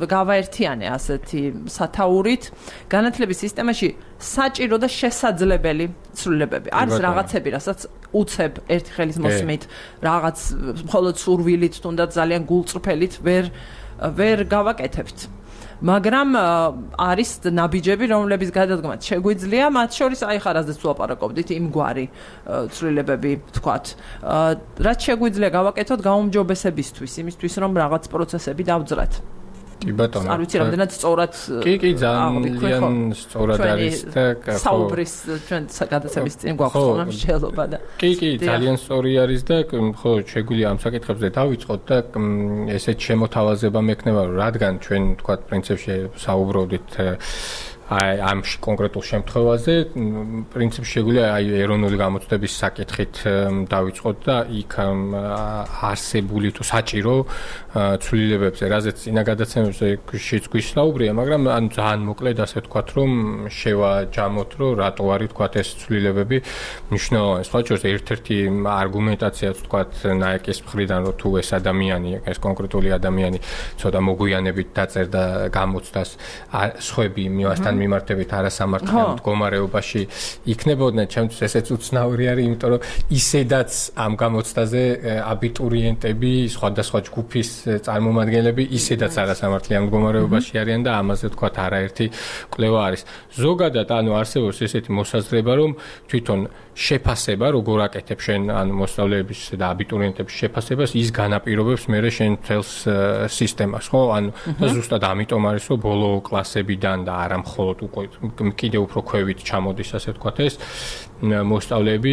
Speaker 1: გავაერთიანე ასეთი სათაურით განათლების სისტემაში საჭირო და შესაძლებელი ცვლილებები. არის რაღაცები, რასაც უცებ ერთი ხელის მოსმით, რაღაც მხოლოდ სურვილით, თუნდაც ძალიან გულწრფელით ვერ გავაკეთებთ. მაგრამ არის ნაბიჯები, რომლების გადადგმაც შეგვიძლია, მათ შორის აი ხარაზეც ვაპარაკობდით იმგვარი ცვლილებები თქვათ. რაც შეგვიძლია გავაკეთოთ გაუმჯობესებისთვის, იმისთვის რომ რაღაც პროცესები დავძრათ.
Speaker 2: კი ბატონო.
Speaker 1: არ ვიცი რამდენად სწორად
Speaker 2: კი ძალიან სწორად არის და
Speaker 1: საუბრის ჩვენ გადაცემის წინ გვაქვს მსჯელობა და
Speaker 2: კი ძალიან სწორი არის და ხო შეგვიძლია ამ საკითხებზე დავიწყოთ და ესეთ შემოთავაზება მექნება რადგან ჩვენ თქვათ პრინციპში საუბრობდით აი ამ კონკრეტულ შემთხვევაზე პრინციპში შეგვიძლია აი ეროვნული გამოცდების საკითხით დავიწყოთ და იქ არსებული თუ საჭირო ცვლილებებზე, რაზეც წინა გადაცემებზე შეგვისაუბრია, მაგრამ ან ძალიან მოკლედ ასე ვთქვათ, რომ შევაჯამოთ, რომ რატო არის ვთქვათ ეს ცვლილებები მნიშვნელოვანი. სხვა შორის ერთ-ერთი არგუმენტაციაც ვთქვათ ნაეკის მხრიდან, რომ თუ ეს ადამიანი, ეს კონკრეტული ადამიანი ცოტა მოგვიანებით დაწერდა გამოცდას, სხვები მივასთან მიმართებით არასამართლიან მდგომარეობაში იქნებოდნენ, ჩემთვის ესეც უცნაური არის, იმიტომ რომ ისედაც ამ გამოცდაზე აბიტურიენტები, სხვადასხვა ჯგუფის წარმომადგენლები ისედაც არასამართლიან მდგომარეობაში არიან და ამაზე ვთქვათ არაერთი კვლევა არის. ზოგადად ანუ არსებობს ესეთი მოსაზრება, რომ თვითონ შეფასება, როგორ აკეთებ შენ ანუ მოსწავლეების და აბიტურიენტების შეფასებას, ის განაპირობებს მერე შენ თელს სისტემას, ხო? ანუ ზუსტად ამიტომ არის, რომ ბოლო კლასებიდან და არა მხოლოდ კიდევ უფრო ქვევით ჩამოდის, ასე ვთქვათ, ეს მოსწავლეები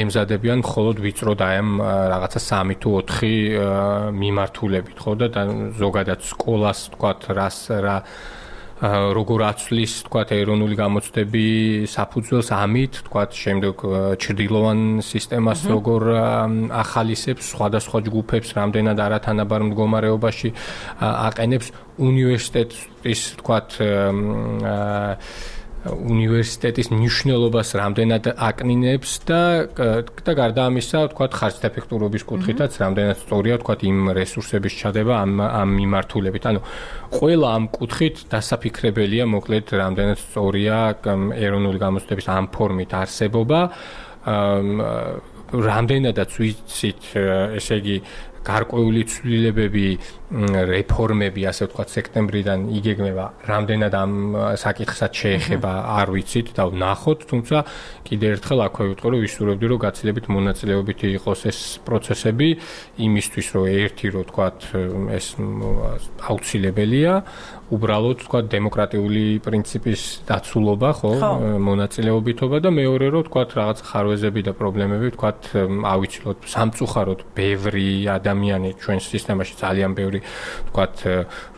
Speaker 2: ემზადებიან მხოლოდ ვიწრო და ამ რაღაცა 3 თუ 4 მიმართულებით, ხო? და ზოგადად სკოლას, ვთქვათ, რა როგორ აცვლის, ვთქვათ, ეროვნული გამოცდები საფუძველს ამით, ვთქვათ, შემდეგ ჩრდილოვან სისტემას როგორ ახალისებს, სხვადასხვა ჯგუფებს რამდენად არათანაბარ მდგომარეობაში აყენებს უნივერსიტეტის, ვთქვათ, უნივერსიტეტის მნიშვნელობას რამდენად აკნინებს და გარდა ამისა, ვთქვათ, ხარჯდეფექტურობის კუთხითაც რამდენად სწორია, ვთქვათ, იმ რესურსების ჩადება ამ მიმართულებით. ანუ ყველა ამ კუთხით დასაფიქრებელია, მოკლედ, რამდენად სწორია ეროვნული გამოცდების ამ ფორმით არსებობა. რამდენადაც ვიცით, ესე იგი გარკვეული ცვლილებები, რეფორმები, ასე ვთქვათ, სექტემბრიდან იგეგმება, რამდენად ამ საკითხსაც შეეხება, არ ვიცით და ვნახოთ, თუმცა კიდევ ერთხელ აქვე ვიტყვი, რომ ვისურვებდი, რომ გაცილებით მონაწილეობითი იყოს ეს პროცესები, იმისთვის, რომ ერთი, რომ ვთქვათ, ეს აუცილებელია, უბრალოდ, ვთქვათ, დემოკრატიული პრინციპის დაცულობა, ხო, მონაწილეობითობა და მეორე, რომ ვთქვათ, რაღაც ხარვეზები და პრობლემები, ვთქვათ, ავიცილოთ, სამწუხაროდ ბევრი ადამიანი ჩვენს სისტემაში ძალიან ბევრი ორი ვთქვათ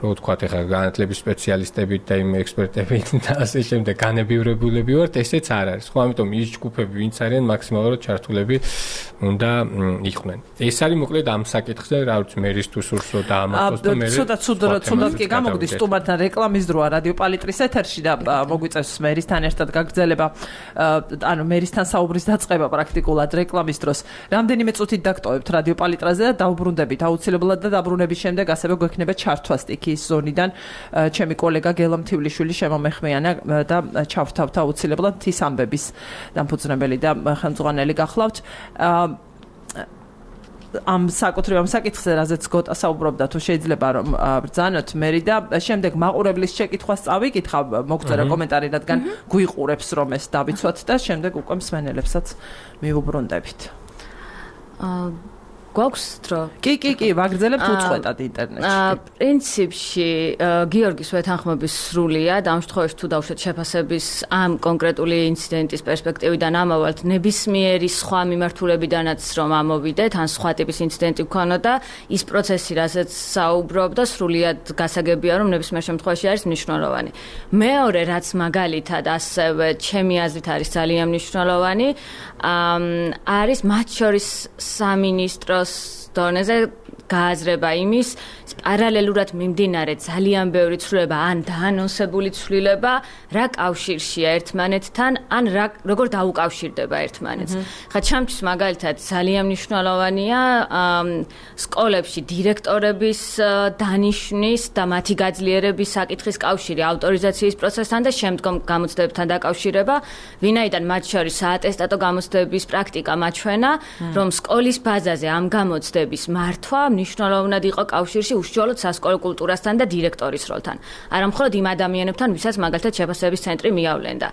Speaker 2: რო ვთქვათ ეხლა განათლების სპეციალისტებით და იმ ექსპერტებით და ასე შემდეგ განებივრებულები ვართ, ესეც არ არის. ხო, ამიტომ ის ჯგუფები, ვინც არიან მაქსიმალურად ჩართულები უნდა იყვნენ. ეს არის მოკლედ ამ საკითხზე, რა ვიცი, მერის თუ სურსო და ამათოს და მე
Speaker 1: ცუდად კი გამოგდის სტუმართან რეკლამის დროა რადიო პალიტრის ეთერში და მოგვიწევს მერისთან ერთად გაგრძელება ანუ მერისთან საუბრის დაწყება პრაქტიკულად რეკლამის დროს. რამდენიმე წუთით დაგტოვებთ რადიო პალიტრაზე და დაუბრუნდებით აუცილებლად და დაბრუნების შემდეგ ასევე გვექნება ჩართვა სტიქიის ზონიდან ჩემი კოლეგა გელა მთივლიშვილი შემომეხმიანა და ჩავთავთ აუცილებლად თის ამბების დამფუძნებელი და ხელმძღვანელი გახლავთ. ამ საკითხზე, რაზეც გოტა საუბრობდა, თუ შეიძლება რომ ბრძანოთ მერი და შემდეგ მაყურებლის შეკითხვას წავიკითხავ, მოგწერა კომენტარი, რადგან გვიყურებს რომ ეს დავიცვათ და შემდეგ უკვე მსმენელებსაც მივუბრუნდებით.
Speaker 3: გვაქვს დრო?
Speaker 1: კი, ვაგრძელებთ უწყვეტად ინტერნეტში.
Speaker 3: პრინციპში გიორგის ვეთანხმების სრულია და ამ შემთხვევაში თუ დავუშვათ შეფასების ამ კონკრეტული ინციდენტის პერსპექტივიდან ამავალთ ნებისმიერი სხვა მიმართულებიდანაც რომ ამოვიდეთ, ან სხვა ტიპის ინციდენტი გქონოდა, ის პროცესი, რასაც საუბრობდა, სრულად გასაგებია, რომ ნებისმიერ შემთხვევაში არის მნიშვნელოვანი. მეორე, რაც მაგალითად ასევე ჩემი აზრით არის ძალიან მნიშვნელოვანი, არის მათ შორის სამინისტრო დონეზე გააზრება იმის პარალელურად მიმდინარე ძალიან ბევრი ცვლილება ან დაანონსებული ცვლილება რა კავშირშია ერთმანეთთან ან როგორ დაუკავშირდება ერთმანეთს. ხა ჩემთვის მაგალითად ძალიან მნიშვნელოვანია სკოლებში დირექტორების დანიშვნის და მათი გაძლიერების საკითხის კავშირი ავტორიზაციის პროცესთან და შემდგომ გამოცდებებთან დაკავშირება, ვინაიდან მათ შორის საატესტატო გამოცდების პრაქტიკა მაჩვენა, რომ სკოლის ბაზაზე ამ გამოცდების მართვა მნიშვნელოვნად იყო კავშირში უშუალოდ სასკოლო კულტურასთან და დირექტორის როლთან. არა მხოლოდ იმ ადამიანებთან, ვისაც მაგალითად შეფასების ცენტრი მიავლენდა.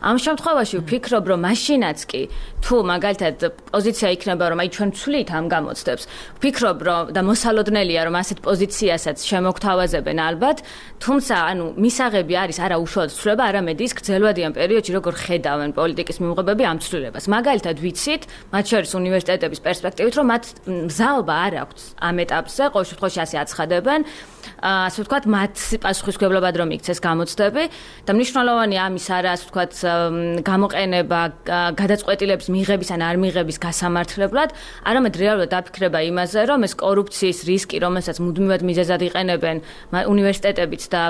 Speaker 3: ამ შემთხვევაში ვფიქრობ, რომ მაშინაც კი თუ მაგალითად პოზიცია იქნება, რომ აი ჩვენ ვცვლით ამ გამოცდებს, ვფიქრობ, რომ და მოსალოდნელია, რომ ასეთ პოზიციასაც შემოგთავაზებენ ალბათ, თუმცა ანუ მისაღები არის არა უშუალოდ ცვლილება, არამედ ის გრძელვადიან პერიოდში როგორ ხედავენ პოლიტიკის მიმღებები ამ ცვლილებას. მაგალითად ვიცით, მათ შორის უნივერსიტეტების პერსპექტივით, რომ მათ მზაობა არ აქვს ამ ეტაპზე, ყოველ შემთხვევაში ასე აცხადებენ, ასე ვთქვათ, მათ პასუხისმგებლობად რომ იქცეს გამოცდები და მნიშვნელოვანია ამის არა, ასე ვთქვათ, გამოყენება გადაწყვეტილების მიღების ან არ მიღების გასამართლებლად, არამედ რეალურად დაფიქრება იმაზე, რომ ეს კორუფციის რისკი, რომელსაც მუდმივად მიზეზად იყენებენ უნივერსიტეტებიც და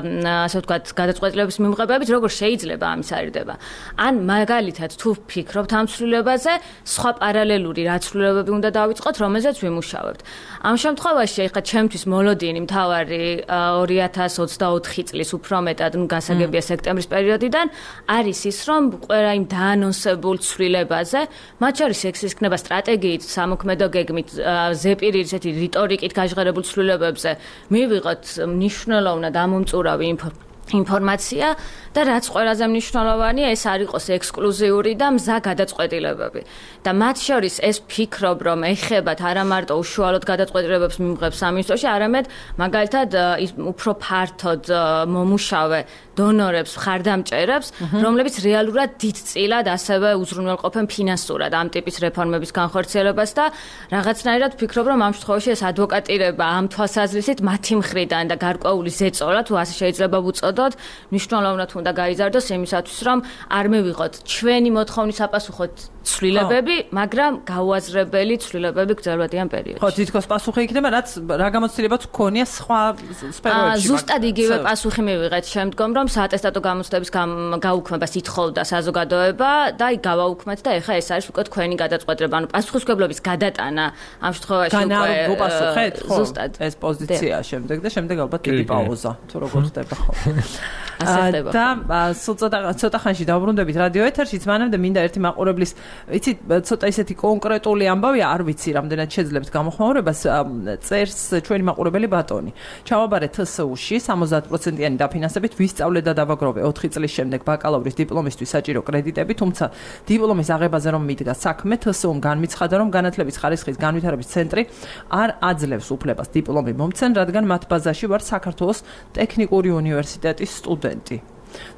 Speaker 3: ასე ვთქვათ, გადაწყვეტილების მიმღებებით, როგორ შეიძლება ამის არიდება. ან მაგალითად თუ ვფიქრობთ ამ ცვლილებაზე, სხვა პარალელური რა ცვლილებები უნდა დავიწყოთ, რომელზეც ვიმუშავებთ. ამ შემთხვევაში ეხლა ჩემთვის მოლოდინი მთავარი 2024 წლის უფრო მეტად, გასაგებია სექტემბრის პერიოდიდან, არის ის, რომ ყველა იმ დაანონსებულ ცვლილებაზე, მათ შორის ეს იქნება სტრატეგიით, სამოქმედო გეგმით, ზეპირით, ესეთი რიტორიკით გაჟღერებულ ცვლილებებზე, მივიღოთ მნიშვნელოვნად ამომწურავი ინფორმაცია და რაც ყველაზე მნიშვნელოვანია, ეს არ იყოს ექსკლუზიური და მზა გადაწყვეტილებები. და მათ შორის ეს ვფიქრობ, რომ ეხებათ არა მარტო უშუალოდ გადაწყვეტილებებს მიმღებს სამინისტროში, არამედ მაგალითად უფრო ფართოდ მომუშავე დონორებს, მხარდამჭერებს, რომლებიც რეალურად დიდწილად ასევე უზრუნველყოფენ ფინანსურად ამ ტიპის რეფორმების განხორციელებას და რაღაცნაირად ვფიქრობ, რომ ამ შემთხვევაში ეს ადვოკატირება ამ თვალსაზრისით მათი მხრიდან და გარკვეული ზეწოლა, თუ ასე შეიძლება ვუწოდოთ, მნიშვნელოვნად უნდა გაიზარდოს იმისათვის, რომ არ მივიღოთ ჩვენი მოთხოვნის საპასუხოდ ცვლილებები, მაგრამ გაუაზრებელი ცვლილებები გრძელვადიან პერიოდში.
Speaker 1: ხო, თითქოს პასუხი იქნება, რაც რა გამოცდილებაც გქონია სხვა სფეროებში.
Speaker 3: ზუსტად იგივე პასუხი მივიღეთ შემდგომ, რომ საატესტატო გამოცდების გაუქმებას ითხოვდა საზოგადოება და აი გავაუქმეთ და ეხლა ეს არის უკვე თქვენი გადაწყვეტილება. ანუ პასუხისმგებლობის გადატანა ამ შემთხვევაში უკვე
Speaker 1: გოპასუხეთ, ხო?
Speaker 3: ზუსტად
Speaker 1: ეს პოზიცია შემდეგ და შემდეგ ალბათ დიდი პაუზა, თუ როგორ ხდება, ხო?
Speaker 3: ასე ხდება.
Speaker 1: და სულ ცოტა ხანში დავბრუნდებით რადიო ეთერშიც, მანამდე მინდა ერთი მაყურებლის, იცით, ცოტა ისეთი კონკრეტული ამბავია, არ ვიცი, რამდენად შეძლებთ გამოხმაურებას, წერს ჩვენი მაყურებელი ბატონი. ჩავაბარე TSU-ში 70%-იანი დაფინანსებით ვისწავლე და დავაგროვე 4 წლის შემდეგ ბაკალავრის დიპლომისთვის საჭირო კრედიტები, თუმცა დიპლომის აღებაზე რომ მიდგა საქმე, TSU-მ განმიცხადა, რომ განათლების ხარისხის განვითარების ცენტრი არ აძლევს უფლებას დიპლომი მომცენ, რადგან მათ ბაზაში ვარ საქართველოს ტექნიკური უნივერსიტეტის სტუდენტი.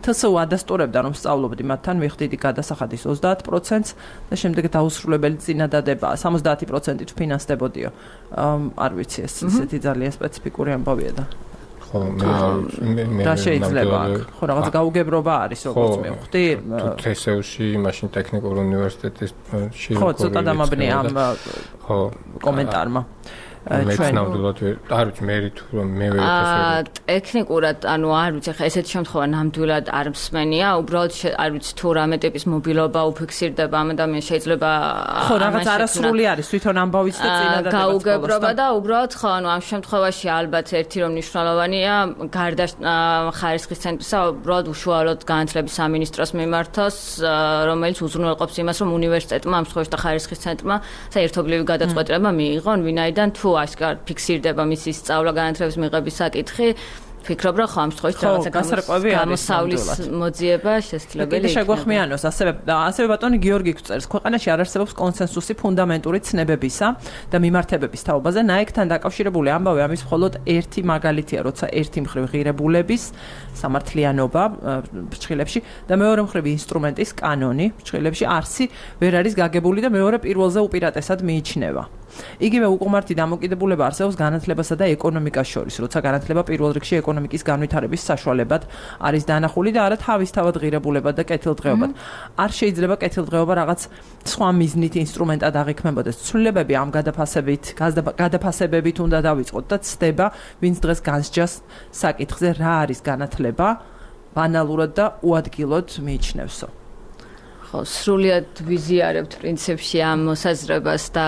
Speaker 1: TSU ადასტურებდა, რომ სწავლობდი მათთან, მივხვდიდი გადასახადის 30%-ს და შემდეგ დაუსრულებელი წინადადება 70%-ით ვფინანსდებოდიო. არ vicsi, ეს ისეთი ძალიან სპეციფიკური ამბავია და რა შეიძლება ხო რაღაც გაუგებრობა არის როგორც მივხვდი
Speaker 2: TSU-ში მაშინ ტექნიკური უნივერსიტეტში
Speaker 1: ხო ცოტა დამაბნია ამ კომენტარმა
Speaker 2: ჩვენ ნამდვილად არ ვიცი მე თუ მე ვერ
Speaker 3: ტექნიკურად ანუ არ ვიცი ხა ესეთი შემთხვევა ნამდვილად არ მსმენია უბრალოდ არ ვიცი თუ რამე ტიპის მობილობა უფიქსირდება ამ ადამიანს შეიძლება
Speaker 1: ხო რაღაც არასრული არის თვითონ ამბავიც და წინადადება
Speaker 3: გაუგებრობა და უბრალოდ ხო ანუ ამ შემთხვევაში ალბათ ერთი რომ მნიშვნელოვანია გარდა ხარისხის ცენტრისა უბრალოდ უშუალოდ განათლების სამინისტროს მიმართოს რომელიც უზრუნველყოფს იმას რომ უნივერსიტეტმა ამ შემთხვევაში და ხარისხის ცენტრმა საერთობლივი გადაწყვეტილება მიიღონ ვინაიდან თუ ასკარ ფიქსირდება მისი სწავლა განათლების მიღების საკითხი ფიქრობ რა ხო ამ შემთხვევაში
Speaker 1: გასარკვევი არის
Speaker 3: გამოსავლის მოძიება შესაძლებელი
Speaker 1: იქნება. შეგვეხმიანოს ასევე ბატონი გიორგი წერს ქვეყანაში არ არსებობს კონსენსუსი ფუნდამენტური ცნებებისა და მიმართებების თაობაზე ნაიქთან დაკავშირებული ამბავი ამის მხოლოდ ერთი მაგალითია როცა ერთი მხრივ ღირებულების სამართლიანობა ფრჩხილებში და მეორე მხრივ ინსტრუმენტის კანონი ფრჩხილებში არსი ვერ არის გაგებული და მეორე პირველზე უპირატესად მიიჩნევა. იგივე უკმართი დამოკიდებულება არსებობს განათლებასა და ეკონომიკას შორის, როცა განათლება პირველ რიგში ეკონომიკის განვითარების საშუალებად არის დანახული და არა თავისთავად ღირებულებად და კეთილდღეობად. არ შეიძლება კეთილდღეობა რაღაც სხვა მიზნით ინსტრუმენტად აღიქმებოდეს. ცვლილებები ამ გადაფასებებით უნდა დავიწყოთ და ცდება, ვინც დღეს განსჯას საკითხზე რა არის განათლება, ბანალურად და უადგილოდ მიიჩნევსო.
Speaker 3: სრულიად ვიზიარებთ პრინციპში ამ მოსაზრებას და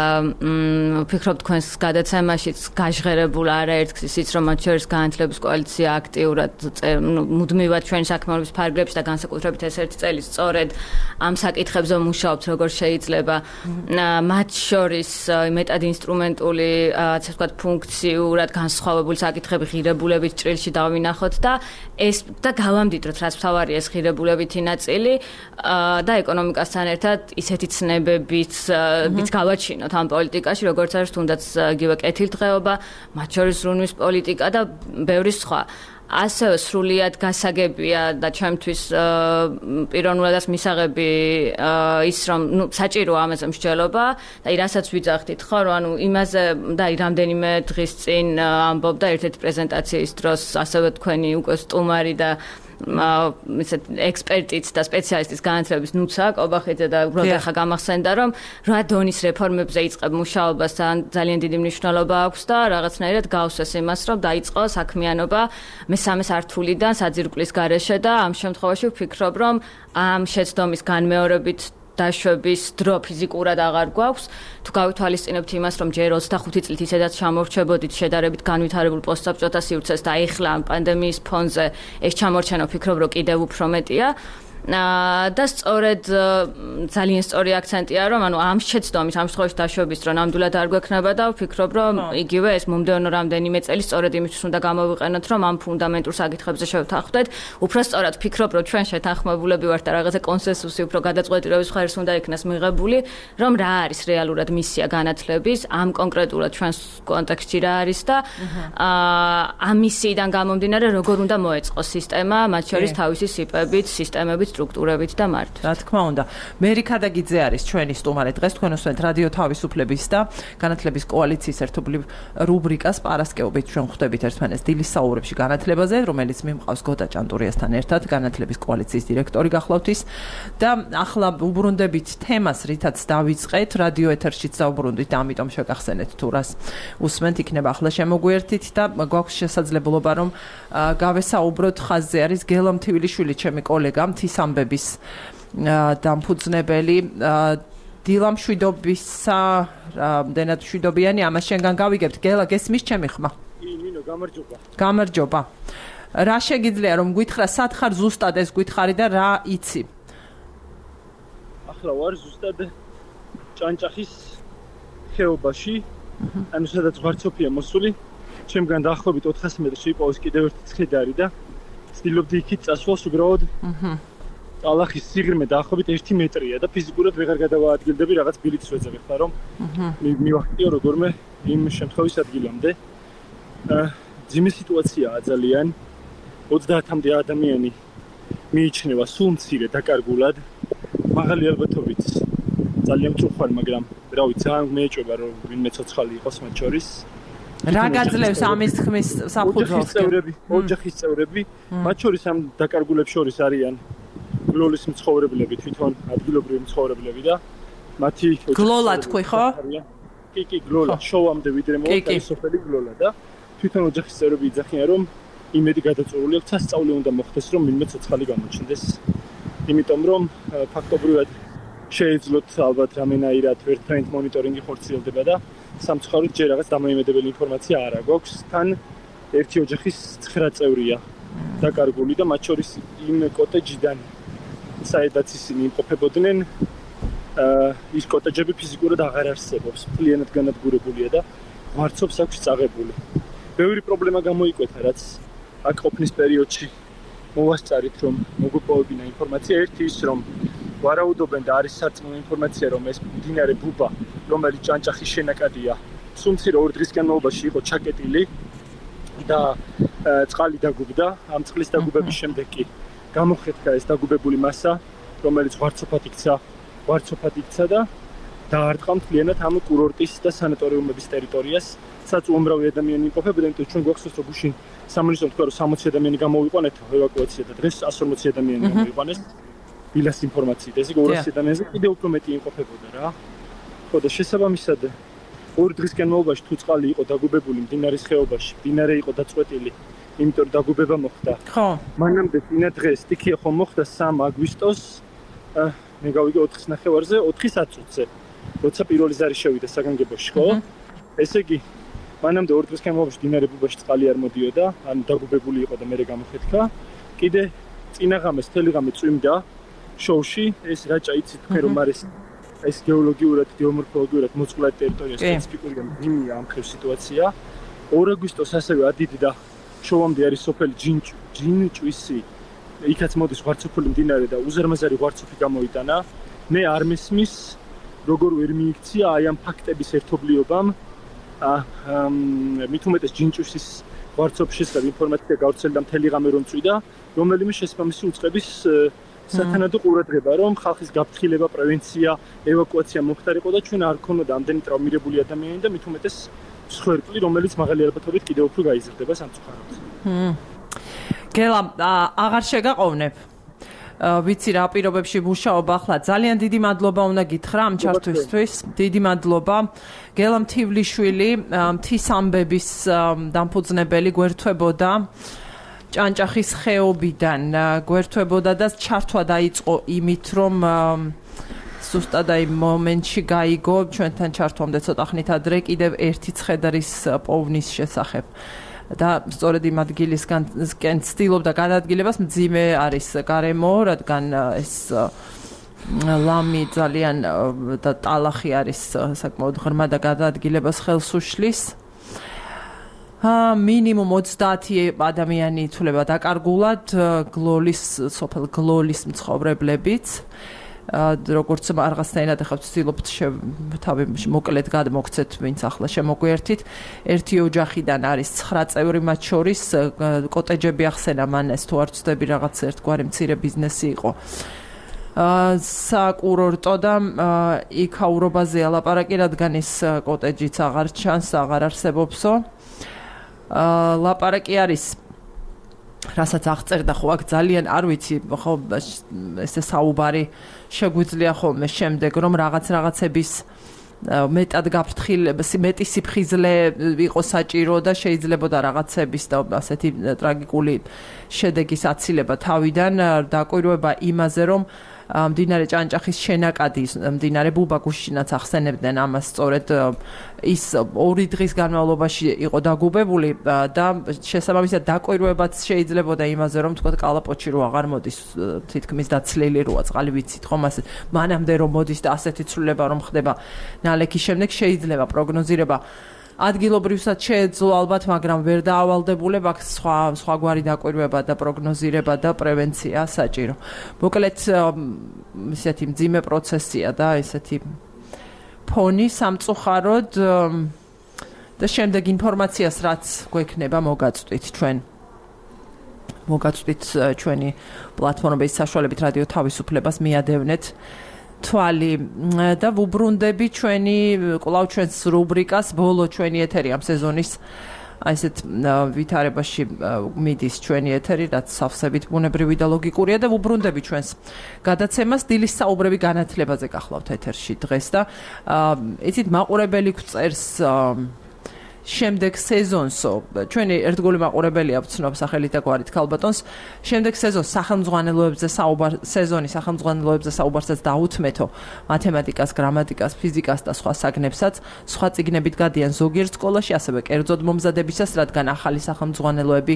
Speaker 3: ვფიქრობ თქვენს გადაცემაშიც გაჟღერებულ არაერთგზის ის რომ მათ შორის განათლების კოალიცია აქტიურად მუდმივად ჩვენი საქმიანობის ფარგლებში და განსაკუთრებით ეს ერთი წელი სწორედ ამ საკითხებზე მუშაობთ როგორ შეიძლება მათ შორის მეტად ინსტრუმენტული ასე ვთქვათ ფუნქციურად განსხვავებული საკითხები ღირებულებით ჭრილში დავინახოთ და ეს და გავამდიდროთ რაც მთავარია ეს ღირებულებითი ნაწილი და ეკონომიკასთან ერთად ისეთი ცნებებიც გავაჩინოთ ამ პოლიტიკაში, როგორც არის თუნდაც იგივე კეთილდღეობა, მათ შორის რუნვის პოლიტიკა და ბევრი სხვა. ასევე სრულიად გასაგებია და ჩემთვის პიროვნულადაც მისაღები ის რომ საჭიროა ამაზე მსჯელობა და რასაც ვიძახდით ხო რომ ანუ იმაზე და რამდენიმე დღის წინ ამბობდა ერთ-ერთი პრეზენტაციის დროს ასევე თქვენი უკვე სტუმარი და ისეთ ექსპერტიც და სპეციალისტის განათლების ნუცა კობახიძე და უბრალოდ ახლა გამახსენდა რომ რა დონის რეფორმებზე იწყებ მუშაობას ძალიან დიდი მნიშვნელობა აქვს და რაღაცნაირად გავსვეს იმას რომ დაიწყო საქმიანობა მესამე სართულიდან საძირკვლის გარეშე და ამ შემთხვევაში ვფიქრობ რომ ამ შეცდომის განმეორებით დაშვების დრო ფიზიკურად აღარ გვაქვს. თუ გავითვალისწინებთ იმას, რომ ჯერ 25 წლით ისედაც ჩამორჩებოდით შედარებით განვითარებულ პოსტსაბჭოთა სივრცეს და ეხლა ამ პანდემიის ფონზე ეს ჩამორჩენა ვფიქრობ, რომ კიდევ უფრო მეტია. და სწორედ ძალიან სწორი აქცენტია, რომ ანუ ამ შეცდომის, ამ შემთხვევაში დაშვების დრო ნამდვილად არ გვექნება და ვფიქრობ, რომ იგივე ეს მომდევნო რამდენიმე წელი სწორედ იმისთვის უნდა გამოვიყენოთ, რომ ამ ფუნდამენტურ საკითხებზე შევთანხმდეთ. უფრო სწორად ვფიქრობ, რომ ჩვენ შეთანხმებულები ვართ და რაღაცა კონსენსუსი უფრო გადაწყვეტილების ხარისხს უნდა იქნას მიღებული, რომ რა არის რეალურად მისია განათლების, ამ კონკრეტულად ჩვენს კონტექსტში რა არის და ამ მისიიდან გამომდინარე როგორ უნდა მოეწყოს სისტემა, მათ შორის თავისი სიპებით, სისტემებით სტრუქტურებით და მართვით.
Speaker 1: რა თქმა უნდა. მერი ქადაგიძე არის ჩვენი სტუმარი დღეს თქვენ უსმენთ რადიო თავისუფლების და განათლების კოალიციის ერთობლივ რუბრიკას პარასკევობით ჩვენ ხვდებით ერთმანეთს დილის საუბრებში განათლებაზე, რომელიც მიმყავს გოთა ჭანტურიასთან ერთად განათლების კოალიციის დირექტორი გახლავთ ის და ახლა უბრუნდებით თემას, რითაც დავიწყეთ რადიო ეთერშიც დავუბრუნდით, ამიტომ შეგახსენეთ თუ რას უსმენთ, იქნება ახლა შემოგვიერთით და გვაქვს შესაძლებლობა რომ გავესაუბროთ ხაზზე არის გელა მთივილიშვილი, ჩემი კოლეგა ამბების დამფუძნებელი დილა მშვიდობისა რამდენად მშვიდობიანი ამას შენგან გავიგებთ გელა გესმის ჩემი ხმა
Speaker 4: მინო
Speaker 1: გამარჯობა რა შეგიძლია რომ გითხრა სად ხარ ზუსტად ეს გითხარი და რა იცი
Speaker 4: ახლა ვარ ზუსტად ჭანჭახის ხეობაში ანუ სადაც ვარცოფია მოსული ჩემგან დაახლოებით 400 მეტრი შეიპოვოს კიდევ ერთი ცხედარი და ვცდილობდი იქით წასვლას უბრალოდ ალახის სიღრმე დაახლოებით 1 მეტრია და ფიზიკურად ვეღარ გადავაადგილდები რაღაც ბილეთს ვეძებ ხა რომ მივახტიო როგორმე იმ შემთხვევის ადგილამდე ძიმე სიტუაციაა ძალიან 30-მდე ადამიანი მიიჩნევა სულ მცირე დაკარგულად მაღალი ალბათობით ძალიან მწუხარ მაგრამ რა ვიცი ძალიან მეეჭვება რომ ვინმე ცოცხალი იყოს მათ შორის
Speaker 1: რა გაძლევს ამის თქმის საფუძველს
Speaker 4: ოჯახის წევრები მათ შორის ამ დაკარგულებს შორის არიან გლოლის მცხოვრებლები თვითონ ადგილობრივი მცხოვრებლები და მათი
Speaker 1: გლოლა თქვი ხო?
Speaker 4: კი გლოლა შოვამდე ვიდრე მოხდა სოფელი გლოლა და თვითონ ოჯახის წევრები იძახიან რომ იმედი გადაწყვეტილი აქვს სასწაული უნდა მოხდეს რომ ვინმე ცოცხალი გამოჩნდეს იმიტომ რომ ფაქტობრივად შეეძლოთ ალბათ რამენაირად ერთმანეთ მონიტორინგი ხორციელდება და სამწუხაროდ ჯერ რაღაც დამოიმედებელი ინფორმაცია არ აქვს თან ერთი ოჯახის 9 წევრია დაკარგული და მათ შორის იმ კოტეჯიდან საიდაც ისინი იმყოფებოდნენ ის კოტეჯები ფიზიკურად აღარ არსებობს მთლიანად განადგურებულია და ვარცობს აქვს წაღებული ბევრი პრობლემა გამოიკვეთა რაც აქ ყოფნის პერიოდში მოვასწარით რომ მოგვეპოვებინა ინფორმაცია ერთი ის რომ ვარაუდობენ და არის სარწმუნო ინფორმაცია რომ ეს მდინარე ბუბა რომელიც ჭანჭახის შენაკადია სულ მცირე 2 დღის განმავლობაში იყო ჩაკეტილი და წყალი დაგუბდა ამ წყლის დაგუბების შემდეგ კი გამოხეთქა ეს დაგუბებული მასა რომელიც ვარცოფად იქცა და დაარტყა მთლიანად ამ კურორტის და სანატორიუმების ტერიტორიას სადაც უამრავი ადამიანი იმყოფებოდა იმიტომ ჩვენ გვახსოვს რომ გუშინ სამონისტომ თქვა რომ 60 ადამიანი გამოვიყვანეთ ევაკუაცია და დღეს 140 ადამიანი გამოვიყვანეს ვილას ინფორმაციით ეს 200 ადამიანზე კიდევ უფრო მეტი იმყოფებოდა რა ხო და შესაბამისად 2 დღის განმავლობაში თუ წყალი იყო დაგუბებული მდინარის ხეობაში მდინარე იყო დაწყვეტილი იმიტომ რომ დაგუბება მოხდა
Speaker 1: ხო
Speaker 4: მანამდე წინა დღეს სტიქია ხომ მოხდა 3 აგვისტოს მე გავიგე 4-ნახევარზე 4-10-ზე როცა პირველი ზარი შევიდა საგანგებოში ხო ესე იგი მანამდე 2 დღის განმავლობაში მდინარე ბუბაში წყალი არ მოდიოდა ან დაგუბებული იყო და მე გამოვხეთქა კიდე წინაღამეს თელიღამე წვიმდა შოუში ეს რაჭა იცით თქვენ რომ არის ეს გეოლოგიურად გეომორფოლოგიურად მოწყვლადი ტერიტორია სპეციფიკურია მდინია ამ ხელ სიტუაცია 2 აგვისტოს ასევე ადიდდა შოვამდე არის სოფელი ჯინჭვისი იქაც მოდის ვარცოფული მდინარე და უზარმაზარი ვარცოფი გამოიტანა მე არ მესმის როგორ ვერ მიიქცია აი ამ ფაქტების ერთობლიობამ მით უმეტეს ჯინჭვისის ვარცოფშიც და ინფორმაცია გავრცელდა მთელი ღამე რომ წვიდა რომელიმე შესაბამისი უწყების სათანადო ყურადღება რომ ხალხის გაფრთხილება პრევენცია ევაკუაცია მომხდარიყო და ჩვენ არ ქონოდა ამდენი ტრავმირებული ადამიანი და მით უმეტეს მსხვერპლი რომელიც მაღალი ალბათობით კიდევ უფრო გაიზრდება სამწუხაროდ
Speaker 1: გელა აღარ შეგაყოვნებ ვიცი რა პირობებში მუშაობ ახლა ძალიან დიდი მადლობა უნდა გითხრა ამ ჩართვისთვის დიდი მადლობა გელა მთივლიშვილი მთის ამბების დამფუძნებელი გვერდთვებოდა ჭანჭახის ხეობიდან გვერდთვებოდა და ჩართვა დაიწყო იმით რომ ზუსტად აი მომენტში გაიგო ჩვენთან ჩართვამდე ცოტა ხნით ადრე კიდევ ერთი ცხედრის პოვნის შესახებ და სწორედ იმ ადგილისგან ცდილობდა გადაადგილებას მძიმე არის გარემო რადგან ეს ლამი ძალიან და ტალახი არის საკმაოდ ღრმა და გადაადგილებას ხელს უშლის მინიმუმ 30 ადამიანი ითვლება დაკარგულად სოფელ გლოლის მცხოვრებლებიც როგორც რაღაცნაირად ახლა ვცდილობთ თავი მოკლედ გადმოგცეთ ვინც ახლა შემოგვიერთით ერთი ოჯახიდან არის 9 წევრი მათ შორის კოტეჯები ახსენა მან ეს თუ არ ვცდები რაღაც ერთგვარი მცირე ბიზნესი იყო საკურორტო და იქაურობაზეა ლაპარაკი რადგან ის კოტეჯიც აღარ ჩანს აღარ არსებობსო ლაპარაკი არის რასაც აღწერდა ხო აქ ძალიან არ ვიცი ხო ესე საუბარი შეგვიძლია ხოლმე შემდეგ რომ რაღაცების მეტად გაფრთხილებას მეტი სიფხიზლე იყო საჭირო და შეიძლებოდა რაღაცების და ასეთი ტრაგიკული შედეგის აცილება თავიდან დაკვირვება იმაზე რომ მდინარე ჭანჭახის შენაკადი მდინარე ბუბა გუშინაც ახსენებდნენ ამას სწორედ ის 2 დღის განმავლობაში იყო დაგუბებული და შესაბამისად დაკვირვებაც შეიძლებოდა იმაზე რომ თქვა კალაპოტში რო აღარ მოდის თითქმის დაცლილი როა წყალი ვიცით ხომ ასე მანამდე რომ მოდის და ასეთი ცვლილება რომ ხდება ნალექის შემდეგ შეიძლება პროგნოზირება ადგილობრივსაც შეეძლო ალბათ მაგრამ ვერ დაავალდებულებ აქ სხვაგვარი დაკვირვება და პროგნოზირება და პრევენცია საჭირო მოკლედ ისეთი მძიმე პროცესია და ესეთი ფონი სამწუხაროდ და შემდეგ ინფორმაციას რაც გვექნება მოგაწვდით ჩვენ მოგაწვდით ჩვენი პლატფორმების საშუალებით რადიო თავისუფლებას მიადევნეთ თვალი და ვუბრუნდები ჩვენი კვლავ ჩვენს რუბრიკას ბოლო ჩვენი ეთერი ამ სეზონის აი ესეთ ვითარებაში მიდის ჩვენი ეთერი, რაც სავსებით ბუნებრივი და ლოგიკურია და ვუბრუნდები ჩვენს გადაცემას დილის საუბრები განათლებაზე გახლავთ ეთერში დღეს და იცით მაყურებელი გვწერს შემდეგ სეზონსო ჩვენი ერთგული მაყურებელია ვცნობს სახელით და გვარით ქალბატონს შემდეგ სეზონს სახელმძღვანელოებზე სეზონის სახელმძღვანელოებზე საუბარსაც დაუთმეთო მათემატიკას, გრამატიკას, ფიზიკას და სხვა საგნებსაც სხვა წიგნებით გადიან ზოგიერთ სკოლაში ასევე კერძოდ მომზადებისას რადგან ახალი სახელმძღვანელოები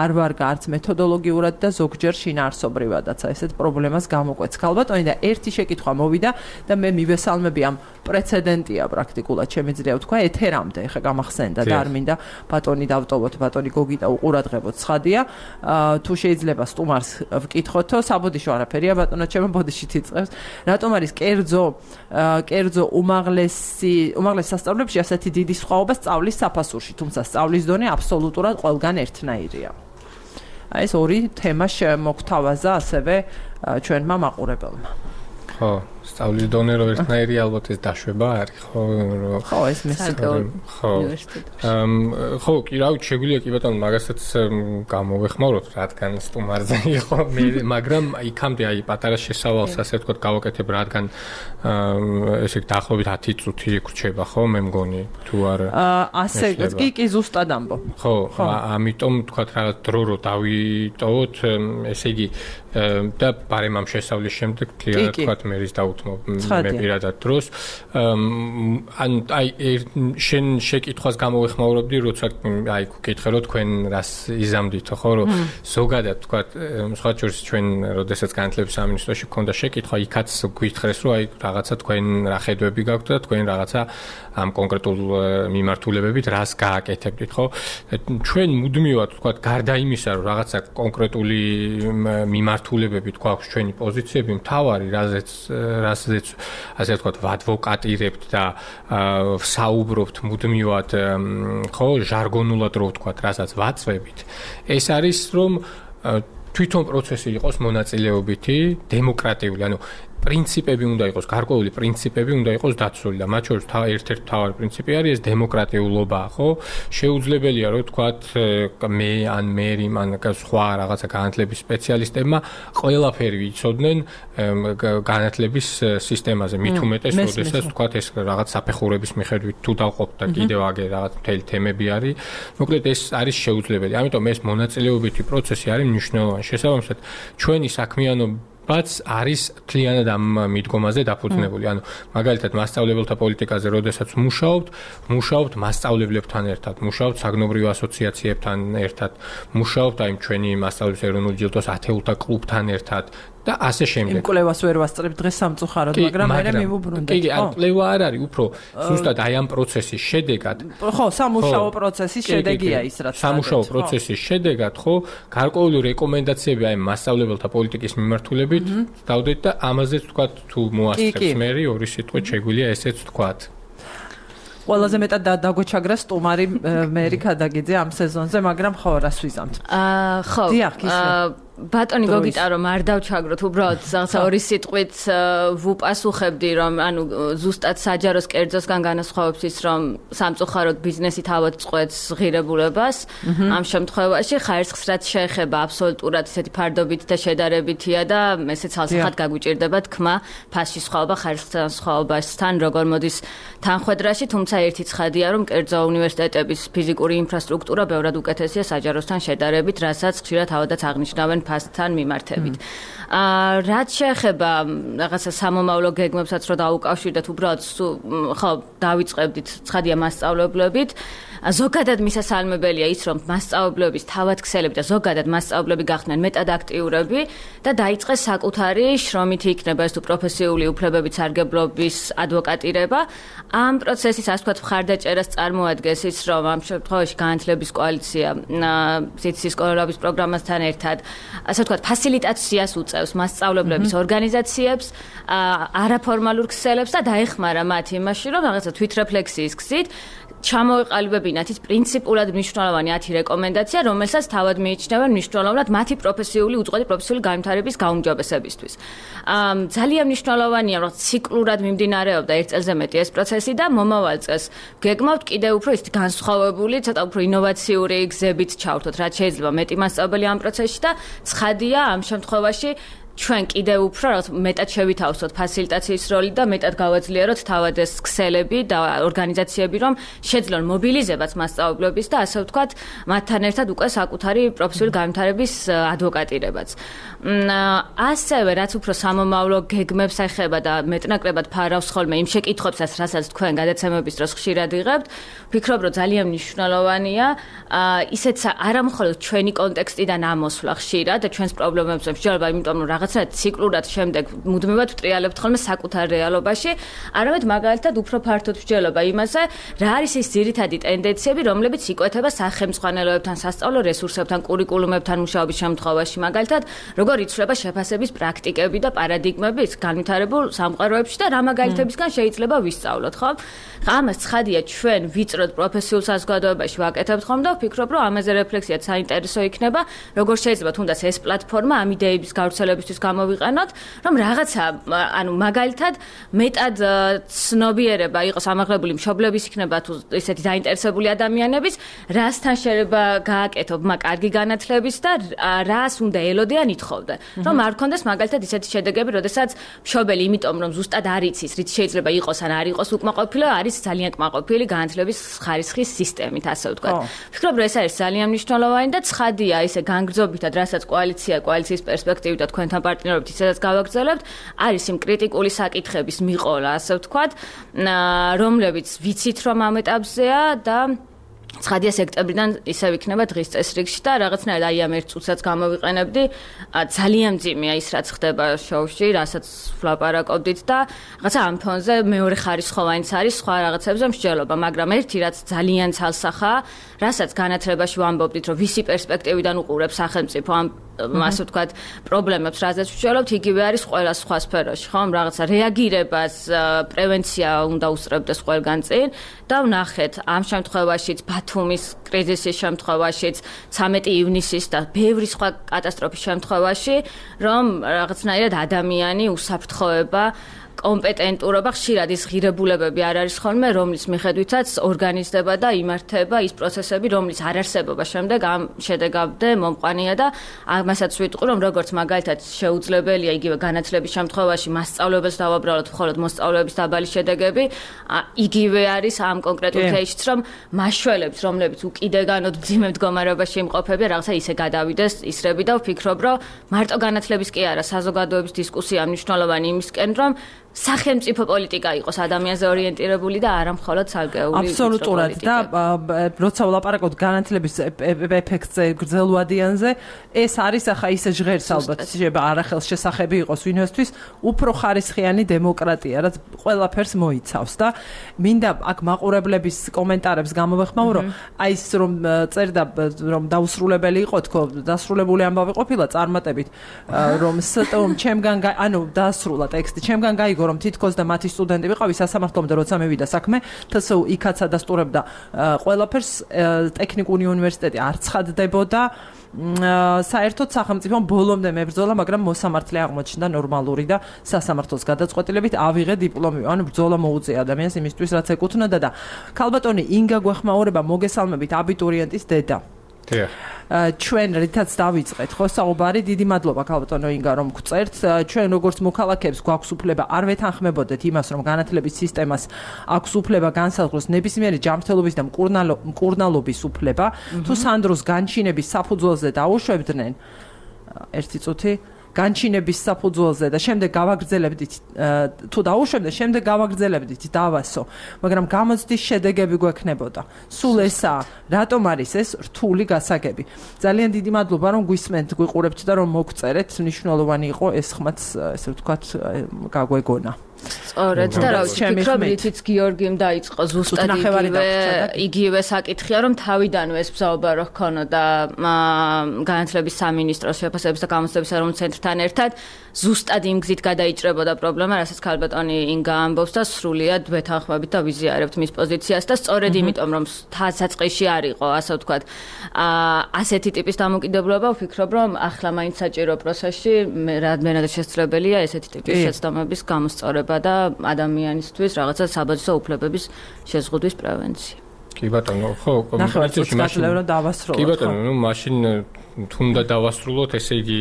Speaker 1: არ ვარგა არც მეთოდოლოგიურად და ზოგჯერ შინაარსობრივადაც ესეთ პრობლემას გამოკვეთს ქალბატონი და ერთი შეკითხვა მოვიდა და მე მივესალმები ამ პრეცედენტია პრაქტიკულად შემიძლია ვთქვა ეთერამდე ეხა გამახსენდა და არ მინდა ბატონი დავტოვოთ ბატონი გოგიტა უყურადღებოთ ცხადია თუ შეიძლება სტუმარს ვკითხოთო საბოდიშო არაფერია ბატონო ჩემო ბოდიშით იწყებს რატომ არის კერძო უმაღლეს სასწავლებლებში ასეთი დიდი სხვაობა სწავლის საფასურში თუმცა სწავლის დონე აბსოლუტურად ყველგან ერთნაირია აი ეს ორი თემა მოგთავაზა ასევე ჩვენმა მაყურებელმა
Speaker 2: ხო სწავლის დონე რო ერთნაირი ალბათ ეს დაშვება არის ხო
Speaker 1: ეს მესაკოლ
Speaker 2: ხო კი რავი შეგვიძლია კი ბატონო მაგასაც გამოვეხმაროთ რადგან სტუმარზე იყო მე მაგრამ იქამდე აი პატარა შესავალს ასე ვთქვათ გავაკეთებ რადგან ესე დაახლოებით 10 წუთი გრჩება ხო მე მგონი თუ არა
Speaker 1: ასე კი ზუსტად ამბო
Speaker 2: ხო ამიტომ ვთქვათ რაღაც დრო რო დავიტოვოთ ესე იგი და ბარემ ამ შესავლის შემდეგ კლიანად ვთქვათ მერის დაუთმობ მე პირადად დროს ან აი შენ შეკითხვას გამოვეხმაურებდი როცა აი გკითხე რომ თქვენ რას იზამდითო ხო რომ ზოგადად ვთქვათ სხვა შორის ჩვენ როდესაც განათლების სამინისტროში გქონდა შეკითხვა იქაც გვითხრეს რომ აი რაღაცა თქვენ რა ხედვები გაქვთ და თქვენ რაღაცა ამ კონკრეტულ მიმართულებებით რას გააკეთებდით ხო ჩვენ მუდმივად ვთქვათ გარდა იმისა რომ რაღაცა კონკრეტული მიმართულებებით გვაქვს ჩვენი პოზიციები მთავარი რაზეც ასე ვთქვათ ვადვოკატირებთ და საუბრობთ მუდმივად ხო ჟარგონულად რო ვთქვათ რასაც ვაწვევით ეს არის რომ თვითონ პროცესი იყოს მონაწილეობითი დემოკრატიული ანუ პრინციპები უნდა იყოს გარკვეული პრინციპები უნდა იყოს დაცული და მათ შორის ერთ-ერთი მთავარი პრინციპი არის ეს დემოკრატიულობა ხო შეუძლებელია რომ ვთქვათ მე ან მერი ან სხვა რაღაცა განათლების სპეციალისტებმა ყველაფერი ვიცოდნენ განათლების სისტემაზე მით უმეტეს როდესაც ვთქვათ ეს რაღაც საფეხურების მიხედვით თუ დავყოფთ და კიდევ აგერ რაღაც მთელი თემები არის მოკლედ ეს არის შეუძლებელი ამიტომ ეს მონაწილეობითი პროცესი არის მნიშვნელოვანი შესაბამისად ჩვენი საქმიანობა ბაც არის თლიანად ამ მიდგომაზე დაფუძნებული. ანუ მაგალითად მასწავლებელთა პოლიტიკაზე როდესაც მუშაობთ მასწავლებლებთან ერთად, მუშაობთ საგნობრივ ასოციაციებთან ერთად, მუშაობთ აი ჩვენი მასწავლებლის ეროვნული ჯილდოს ათეულთა კლუბთან ერთად და ასე შემდეგ.
Speaker 1: იმ კვლევას ვერ ვასწრებ დღეს სამწუხაროდ, მაგრამ მე მივუბრუნდეთ.
Speaker 2: კი, ან კვლევა არ არის, უფრო ზუსტად აი ამ პროცესის შედეგად.
Speaker 1: ხო, სამუშაო პროცესის შედეგია ის რაც.
Speaker 2: სამუშაო პროცესის შედეგად, ხო, გარკვეული რეკომენდაციები აი მასწავლებელთა პოლიტიკის მიმართულებით დავდეთ და ამაზეც ვთქვათ თუ მოასწრებს მე ორი სიტყვით შეგვიძლია ესეც ვთქვათ.
Speaker 1: ყველაზე მეტად დაგვეჩაგრა სტუმარი მერი ქადაგიძე ამ სეზონზე, მაგრამ ხო, რას ვიზამთ?
Speaker 3: ხო.
Speaker 1: დიახ, ისე.
Speaker 3: ბატონი გოგიტა რომ არ დავჩაგროთ უბრალოდ რაღაცა ორი სიტყვით ვუპასუხებდი რომ ანუ ზუსტად საჯაროს კერძოსგან განასხვავებს ის რომ სამწუხაროდ ბიზნესი თავად წყვეტს ღირებულებას ამ შემთხვევაში ხარისხს რაც შეეხება აბსოლუტურად ისეთი ფარდობით და შედარებითია და ესე ცალსახად გაგვიჭირდება თქმა ფასში სხვაობა ხარისხთან სხვაობასთან როგორ მოდის თანხვედრაში თუმცა ერთი ცხადია რომ კერძო უნივერსიტეტების ფიზიკური ინფრასტრუქტურა ბევრად უკეთესია საჯაროსთან შედარებით რასაც ხშირად თავადაც აღნიშნავენ ფასთან მიმართებით. რაც შეეხება რაღაცა სამომავლო გეგმებსაც რო დაუკავშირდეთ, უბრალოდ ხო დავიწყებდით ცხადია მასწავლებლებით. ზოგადად მისასალმებელია ის, რომ მასწავლებლების თავადქცელები და ზოგადად მასწავლებლები გახდნენ მეტად აქტიურები და დაიწყეს საკუთარი შრომითი იქნება ეს თუ პროფესიული უფლებების სარგებლობის ადვოკატირება. ამ პროცესის ასე ვთქვათ მხარდაჭერას წარმოადგენს ის, რომ ამ შემთხვევაში განათლების კოალიცია სიცის სკოლების პროგრამასთან ერთად ასე ვთქვათ ფასილიტაციას უწევს მასწავლებლების ორგანიზაციებს, არაფორმალურ ქსელებს და დაეხმარა მათ იმაში, რომ რაღაცა თვითრეფლექსიის გზით ჩამოეყალიბებინათ ის პრინციპულად მნიშვნელოვანი 10 რეკომენდაცია, რომელსაც თავად მიიჩნევენ მნიშვნელოვნად მათი პროფესიული უწყვეტი პროფესიული განვითარების გაუმჯობესებისთვის. ძალიან მნიშვნელოვანია, რომ ციკლურად მიმდინარეობდა 1 წელზე მეტი ეს პროცესი და მომავალ წელს გეგმავთ კიდევ უფრო ის განსხვავებული, ცოტა უფრო ინოვაციური გზებით ჩავთოთ, რაც შეიძლება მეტი მასწავლებელი ამ პროცესში და ცხადია ამ შემთხვევაში ჩვენ კიდევ უფრო რაღაც მეტად შევითავსოთ ფასილიტაციის როლი და მეტად გავაძლიეროთ თავად ეს ქსელები და ორგანიზაციები, რომ შეძლონ მობილიზებას მასწავლებლების და ასე ვთქვათ, მათთან ერთად უკვე საკუთარი პროფესიული განვითარების ადვოკატირებაც. ასევე რაც უფრო სამომავლო გეგმებს ეხება და მეტნაკლებად ფარავს ხოლმე იმ შეკითხვებსაც, რასაც თქვენ გადაცემების დროს ხშირად იღებთ, ვფიქრობ, რომ ძალიან მნიშვნელოვანია ისეც არა მხოლოდ ჩვენი კონტექსტიდან ამოსვლა ხშირად და ჩვენს პრობლემებს მსჯელობა, იმიტომ რომ რაღაცა ციკლურად შემდეგ მუდმივად ვტრიალებთ ხოლმე საკუთარ რეალობაში, არამედ მაგალითად უფრო ფართოდ ვსჯელობა იმაზე, რა არის ის ძირითადი ტენდენციები, რომლებიც იკვეთება სახელმძღვანელოებთან, სასწავლო რესურსებთან, კურიკულუმებთან მუშაობის შემთხვევაში, მაგალითად, როგორ იცვლება შეფასების პრაქტიკები და პარადიგმები განვითარებულ სამყაროებში და რა მაგალითებისგან შეიძლება ვისწავლოთ, ხო? ამას ცხადია ჩვენ ვიწროდ პროფესიულ საზოგადოებაში ვაკეთებთ ხოლმე და ვფიქრობ, რომ ამაზე რეფლექსიაც საინტერესო იქნება, როგორ შეიძლება თუნდაც ეს პლატფორმა ამ იდეების გავრცელებისთვის გამოვიყენოთ, რომ რაღაცა, ანუ მაგალითად, მეტად ცნობიერება იყოს ამაღლებული მშობლების იქნება თუ ესეთი დაინტერესებული ადამიანების, რასთან შეიძლება გააკეთო კარგი განათლების და რას უნდა ელოდიან ითხოვდნენ. რომ არ გქონდეს მაგალითად ისეთი შედეგები, როდესაც მშობელი იმიტომ რომ ზუსტად არ იცის, რით შეიძლება იყოს ან არ იყოს უკმაყოფილო, არის ძალიან კმაყოფილი განათლების ხარისხის სისტემით, ასე ვთქვათ. ვფიქრობ, რომ ეს არის ძალიან მნიშვნელოვანი და ცხადია ისე განგრძობითად, რასაც კოალიციის პერსპექტივით და თქვენთან პარტნიორობით ისედაც გავაგრძელებთ, არის იმ კრიტიკული საკითხების მიყოლა, ასე ვთქვათ, რომლებიც ვიცით რომ ამ ეტაპზეა და ცხადია სექტემბრიდან ისევ იქნება დღის წესრიგში და რაღაცნაირად აი ამ ერთ წუთსაც გამოვიყენებდი, ძალიან მძიმეა ის რაც ხდება შოუში, რასაც ვლაპარაკობდით და რაღაცა ამ ფონზე მეორე ხარისხოვანიც არის სხვა რაღაცებზე მსჯელობა, მაგრამ ერთი რაც ძალიან ცალსახაა, რასაც განათლებაში ვამბობდით, რომ ვისი პერსპექტივიდან უყურებს სახელმწიფო ამ ასე ვთქვათ, პრობლემებს, რაზეც ვშველობთ, იგივე არის ყველა სხვა სფეროში, ხო? რაღაცა რეაგირებას, პრევენცია უნდა უსწრებდეს ყველგან წინ და ვნახეთ ამ შემთხვევაშიც ბათუმის კრიზისის შემთხვევაშიც 13 ივნისის და ბევრი სხვა კატასტროფის შემთხვევაში, რომ რაღაცნაირად ადამიანი უსაფრთხოება კომპეტენტურობა ხშირად ის ღირებულებები არ არის ხოლმე, რომლის მიხედვითაც ორგანიზდება და იმართება ის პროცესები, რომლის არ არსებობა შემდეგ ამ შედეგამდე მომყვანია და ამასაც ვიტყვი, რომ როგორც მაგალითად შეუძლებელია იგივე განათლების შემთხვევაში მასწავლებელს დავაბრალოთ მხოლოდ მოსწავლეების დაბალი შედეგები, იგივე არის ამ კონკრეტულ кейსშიც, რომ მაშველებს, რომლებიც უკიდეგანოდ მძიმე მდგომარეობაში იმყოფებიან, რაღაცა ისე გადავიდეს ისრები და ვფიქრობ, რომ მარტო განათლების კი არა, საზოგადოების დისკუსია მნიშვნელოვანი იმისკენ, რომ სახელმწიფო პოლიტიკა იყოს ადამიანზე ორიენტირებული და არა მხოლოდ სარგეული.
Speaker 1: აბსოლუტურად და როცა ვლაპარაკობთ განათლების ეფექტზე, გრძელვადიანზე, ეს არის ახლა ისე ჟღერს ალბათ, შეიძლება არახელს შესახები იყოს ვინმესთვის, უფრო ხარისხიანი დემოკრატია, რაც ყველაფერს მოიცავს და მინდა აქ მაყურებლების კომენტარებს გამოვეხმაო, რომ აი ის რომ წერდა რომ დაუსრულებელი იყო თქო, დასრულებული ამბავი ყოფილა წარმატებით, რომ სტომ ჩემგან ანუ დაასრულა ტექსტი, ჩემგან გაიგო რომ თითქოს და მათი სტუდენტი ვიყავი სასამართლომდე როცა მევიდა საქმე, თსუ იქაცა დასტურებდა ყველაფერს, ტექნიკური უნივერსიტეტი არ ცხადდებოდა, საერთოდ სახელმწიფომ ბოლომდე მებრძოლა, მაგრამ მოსამართლე აღმოჩნდა ნორმალური და სასამართლოს გადაწყვეტილებით ავიღე დიპლომი, ანუ ბრძოლა მოუწია ადამიანს იმისთვის, რაც ეკუთვნოდა და ქალბატონი ინგა გვეხმაურება, მოგესალმებით, აბიტურიენტის დედა. ჩვენ რითაც დავიწყეთ ხო საუბარი, დიდი მადლობა ქალბატონო ინგა რომ გწერთ, ჩვენ როგორც მოქალაქეებს გვაქვს უფლება არ ვეთანხმებოდეთ იმას, რომ განათლების სისტემას აქვს უფლება განსაზღვროს ნებისმიერი ჯანმრთელობის და მკურნალობის უფლება, თუ სანდროს განჩინების საფუძველზე დაუშვებდნენ ერთი წუთი განჩინების საფუძველზე და შემდეგ გავაგრძელებდით თუ დაუშვებდნენ, შემდეგ გავაგრძელებდით დავასო, მაგრამ გამოცდის შედეგები გვექნებოდა. სულ ესაა, რატომ არის ეს რთული გასაგები. ძალიან დიდი მადლობა რომ გვისმენთ, გვიყურებთ და რომ მოგწერეთ, მნიშვნელოვანი იყო ეს ხმაც, ესე ვთქვათ, გაგვეგონა.
Speaker 3: სწორედ და რა ვიცი, ვფიქრობ, რითიც გიორგიმ დაიწყო ზუსტად იგივე საკითხია, რომ თავიდანვე ეს ბრძოლა რო ჰქონოდა განათლების სამინისტროს შეფასების და გამოცდების ეროვნულ ცენტრთან ერთად, ზუსტად იმ გზით გადაიჭრებოდა პრობლემა, რასაც ქალბატონი ინგა ამბობს და სრულიად ვეთანხმებით და ვიზიარებთ მის პოზიციას და სწორედ იმიტომ, რომ საწყისში არ იყო, ასე ვთქვათ, ასეთი ტიპის დამოკიდებულება, ვფიქრობ, რომ ახლა მაინც საჭირო პროცესში რამდენად შესაძლებელია ესეთი ტიპის შეცდომების გამოსწორება და ადამიანისთვის რაღაცა საბაჟო უფლებების შეზღუდვის პრევენცია.
Speaker 2: კი ბატონო, ხო, კომუნიკაციაში
Speaker 1: დავასრულოთ.
Speaker 2: კი ბატონო, მაშინ თუნდა დავასრულოთ, ესე იგი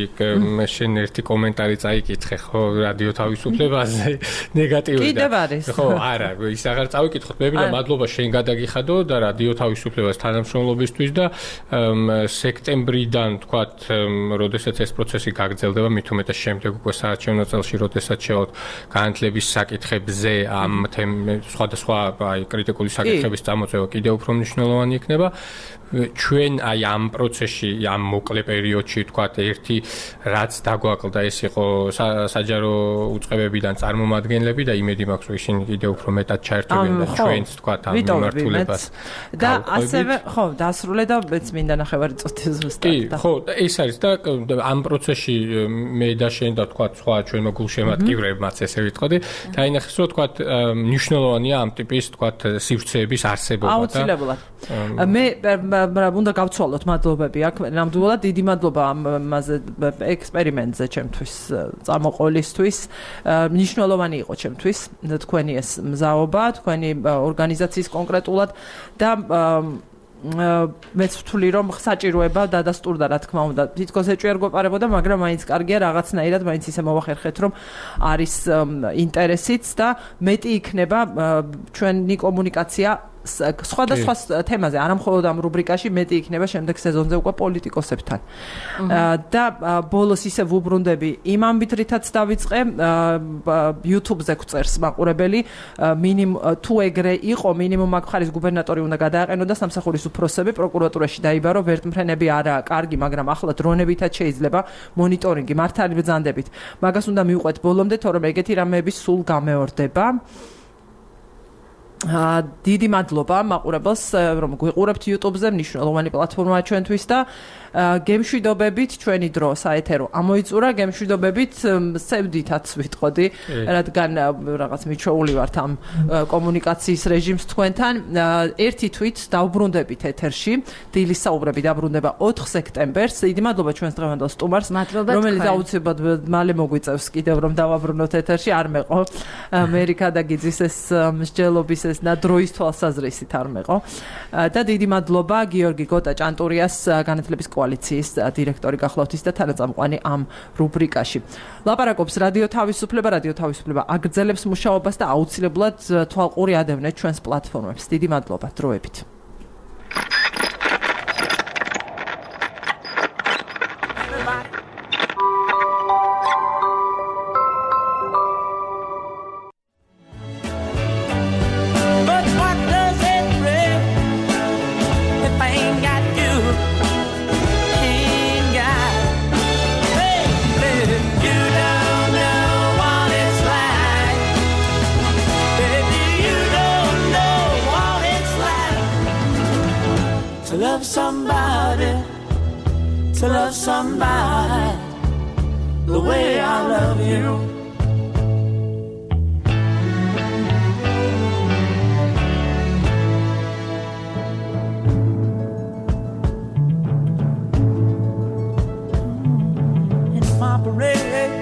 Speaker 2: შენ ერთი კომენტარი წაიკითხე, ხო, რადიო თავისუფლებაზე ნეგატიური და
Speaker 1: კიდევ არის.
Speaker 2: ხო, არა, ის აღარ წავიკითხოთ. მე მინდა მადლობა შენ გადაგიხადო და რადიო თავისუფლებას თანამშრომლობისთვის და სექტემბრიდან, თქვათ, როდესაც ეს პროცესი გაგრძელდება, მით უმეტეს შემდეგ უკვე საარჩევნო წელში, როდესაც შევალთ განათლების საკითხებზე ამ სხვადასხვა კრიტიკული საკითხების წამოწევა კიდევ უფრო მნიშვნელოვანი იქნება. ჩვენ აი ამ პროცესში, ამ მოკლე პერიოდში, თქვათ, ერთი რაც დაგვაკლდა, ეს იყო საჯარო უწყებებიდან წარმომადგენლები და იმედი მაქვს, რომ ისინი კიდევ უფრო მეტად ჩაერთვებიან და ჩვენც, თქვათ, ამ მიმართულებას.
Speaker 1: და ასევე, ხო, დასრულე და მეც მინდა ნახევარი წუთი ზუსტად.
Speaker 2: კი, ხო, ეს არის და ამ პროცესში მე და შენ და თქვათ, სხვა ჩვენო გულშემატკივრებმაც ესე ვიტყოდი, დაინახეს, რომ თქვათ, მნიშვნელოვანია ამ ტიპის, თქვათ, სივრცეების არსებობა და
Speaker 1: აუცილებლად. მე უნდა გავცვალოთ მადლობები აქ. ნამდვილად დიდი მადლობა ამაზე ექსპერიმენტზე ჩემთვის წამოყოლისთვის. მნიშვნელოვანი იყო ჩემთვის თქვენი ეს მზაობა, თქვენი ორგანიზაციის კონკრეტულად და მეც ვთვლი, რომ საჭიროება დადასტურდა, რა თქმა უნდა. თითქოს ეჭვი არ გვეპარებოდა, მაგრამ მაინც კარგია რაღაცნაირად, მაინც ისე მოვახერხეთ, რომ არის ინტერესიც და მეტი იქნება ჩვენი კომუნიკაცია სხვადასხვა თემაზე, არა მხოლოდ ამ რუბრიკაში, მეტი იქნება შემდეგ სეზონზე უკვე პოლიტიკოსებთან. და ბოლოს ისე ვუბრუნდები იმ ამბით, რითაც დავიწყე, YouTube-ზე გვწერს მაყურებელი, თუ ეგრე იყო, მინიმუმ აქ ხარის გუბერნატორი უნდა გადააყენოდა სამსახურის უფროსები, პროკურატურაში დაიბარო, ვერტმფრენები არაა კარგი, მაგრამ ახლა დრონებითაც შეიძლება მონიტორინგი მართალი ბრძანდებით. მაგას უნდა მივყვეთ ბოლომდე, თორემ ეგეთი რამეები სულ გამეორდება. დიდი მადლობა მაყურებელს, რომ გვიყურებთ YouTube-ზე, მნიშვნელოვანი პლატფორმაა ჩვენთვის და გემშვიდობებით ჩვენი დრო საეთერო ამოიწურა, გემშვიდობებით სევდითაც ვიტყოდი, რადგან რაღაც მიჩვეული ვართ ამ კომუნიკაციის რეჟიმს თქვენთან. ერთი თვით დავბრუნდებით ეთერში, დილის საუბრები დაბრუნდება 4 სექტემბერს. დიდი მადლობა ჩვენს დღევანდელ სტუმარს, რომელიც აუცილებლად მალე მოგვიწევს კიდევ რომ დავაბრუნოთ ეთერში, არ მეყო ამერიკა და გიძის ეს მსჯელობის ეს და დროის თვალსაზრისით არ მეყო. და დიდი მადლობა გიორგი გოტა-ჭანტურიას, განათლების კოალიციის დირექტორი გახლავთის და თანაწამყვანი ამ რუბრიკაში. ლაპარაკობს რადიო თავისუფლება, რადიო თავისუფლება აგრძელებს მუშაობას და აუცილებლად თვალყური ადევნეთ ჩვენს პლატფორმებს. დიდი მადლობა, დროებით.
Speaker 5: To love somebody the way I love you. In my parade,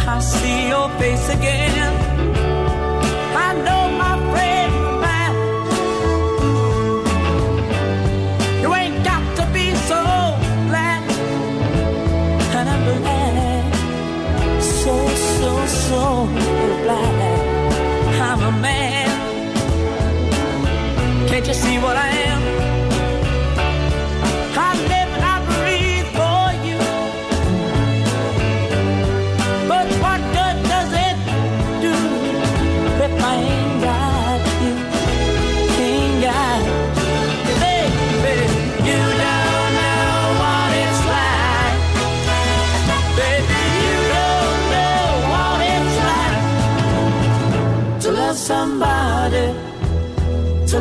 Speaker 5: I see your face again. I know my friend. So blind, I'm a man. Can't you see what I am? I live and I breathe for you. But what good does it do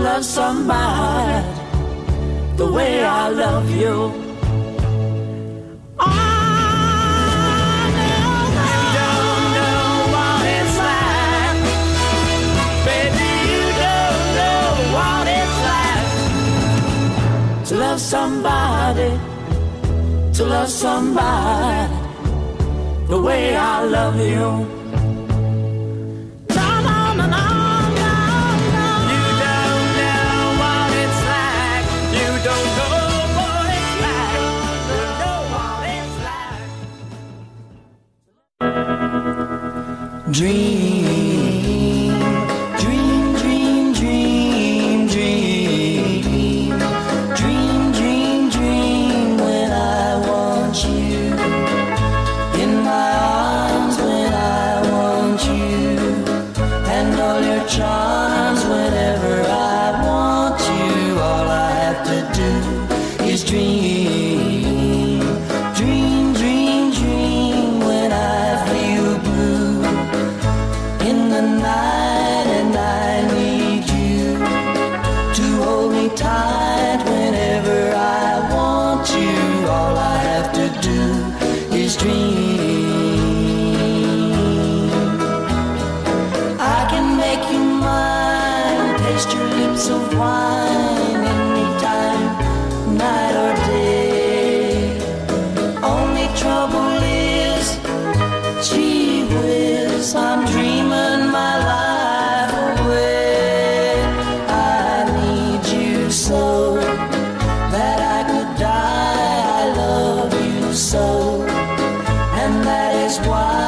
Speaker 5: love somebody the way I love you. To love somebody the way I love you. No, no, no, no, no, no. You don't know what it's like. You don't know what it's like. You know what it's like. Dream, dream, dream, dream, dream. Dream, dream, dream when I want you. In my arms when I want you. And all your charms whenever I want you. All I have to do is dream. Dream, dream, dream when I feel blue. In the night and I need you to hold me tight whenever I want you. All I have to do is dream. I can make you mine, taste your lips of wine anytime, night or day. Only trouble is, gee whiz, I'm dreaming my life away. I need you so that I could die. I love you so, and that is why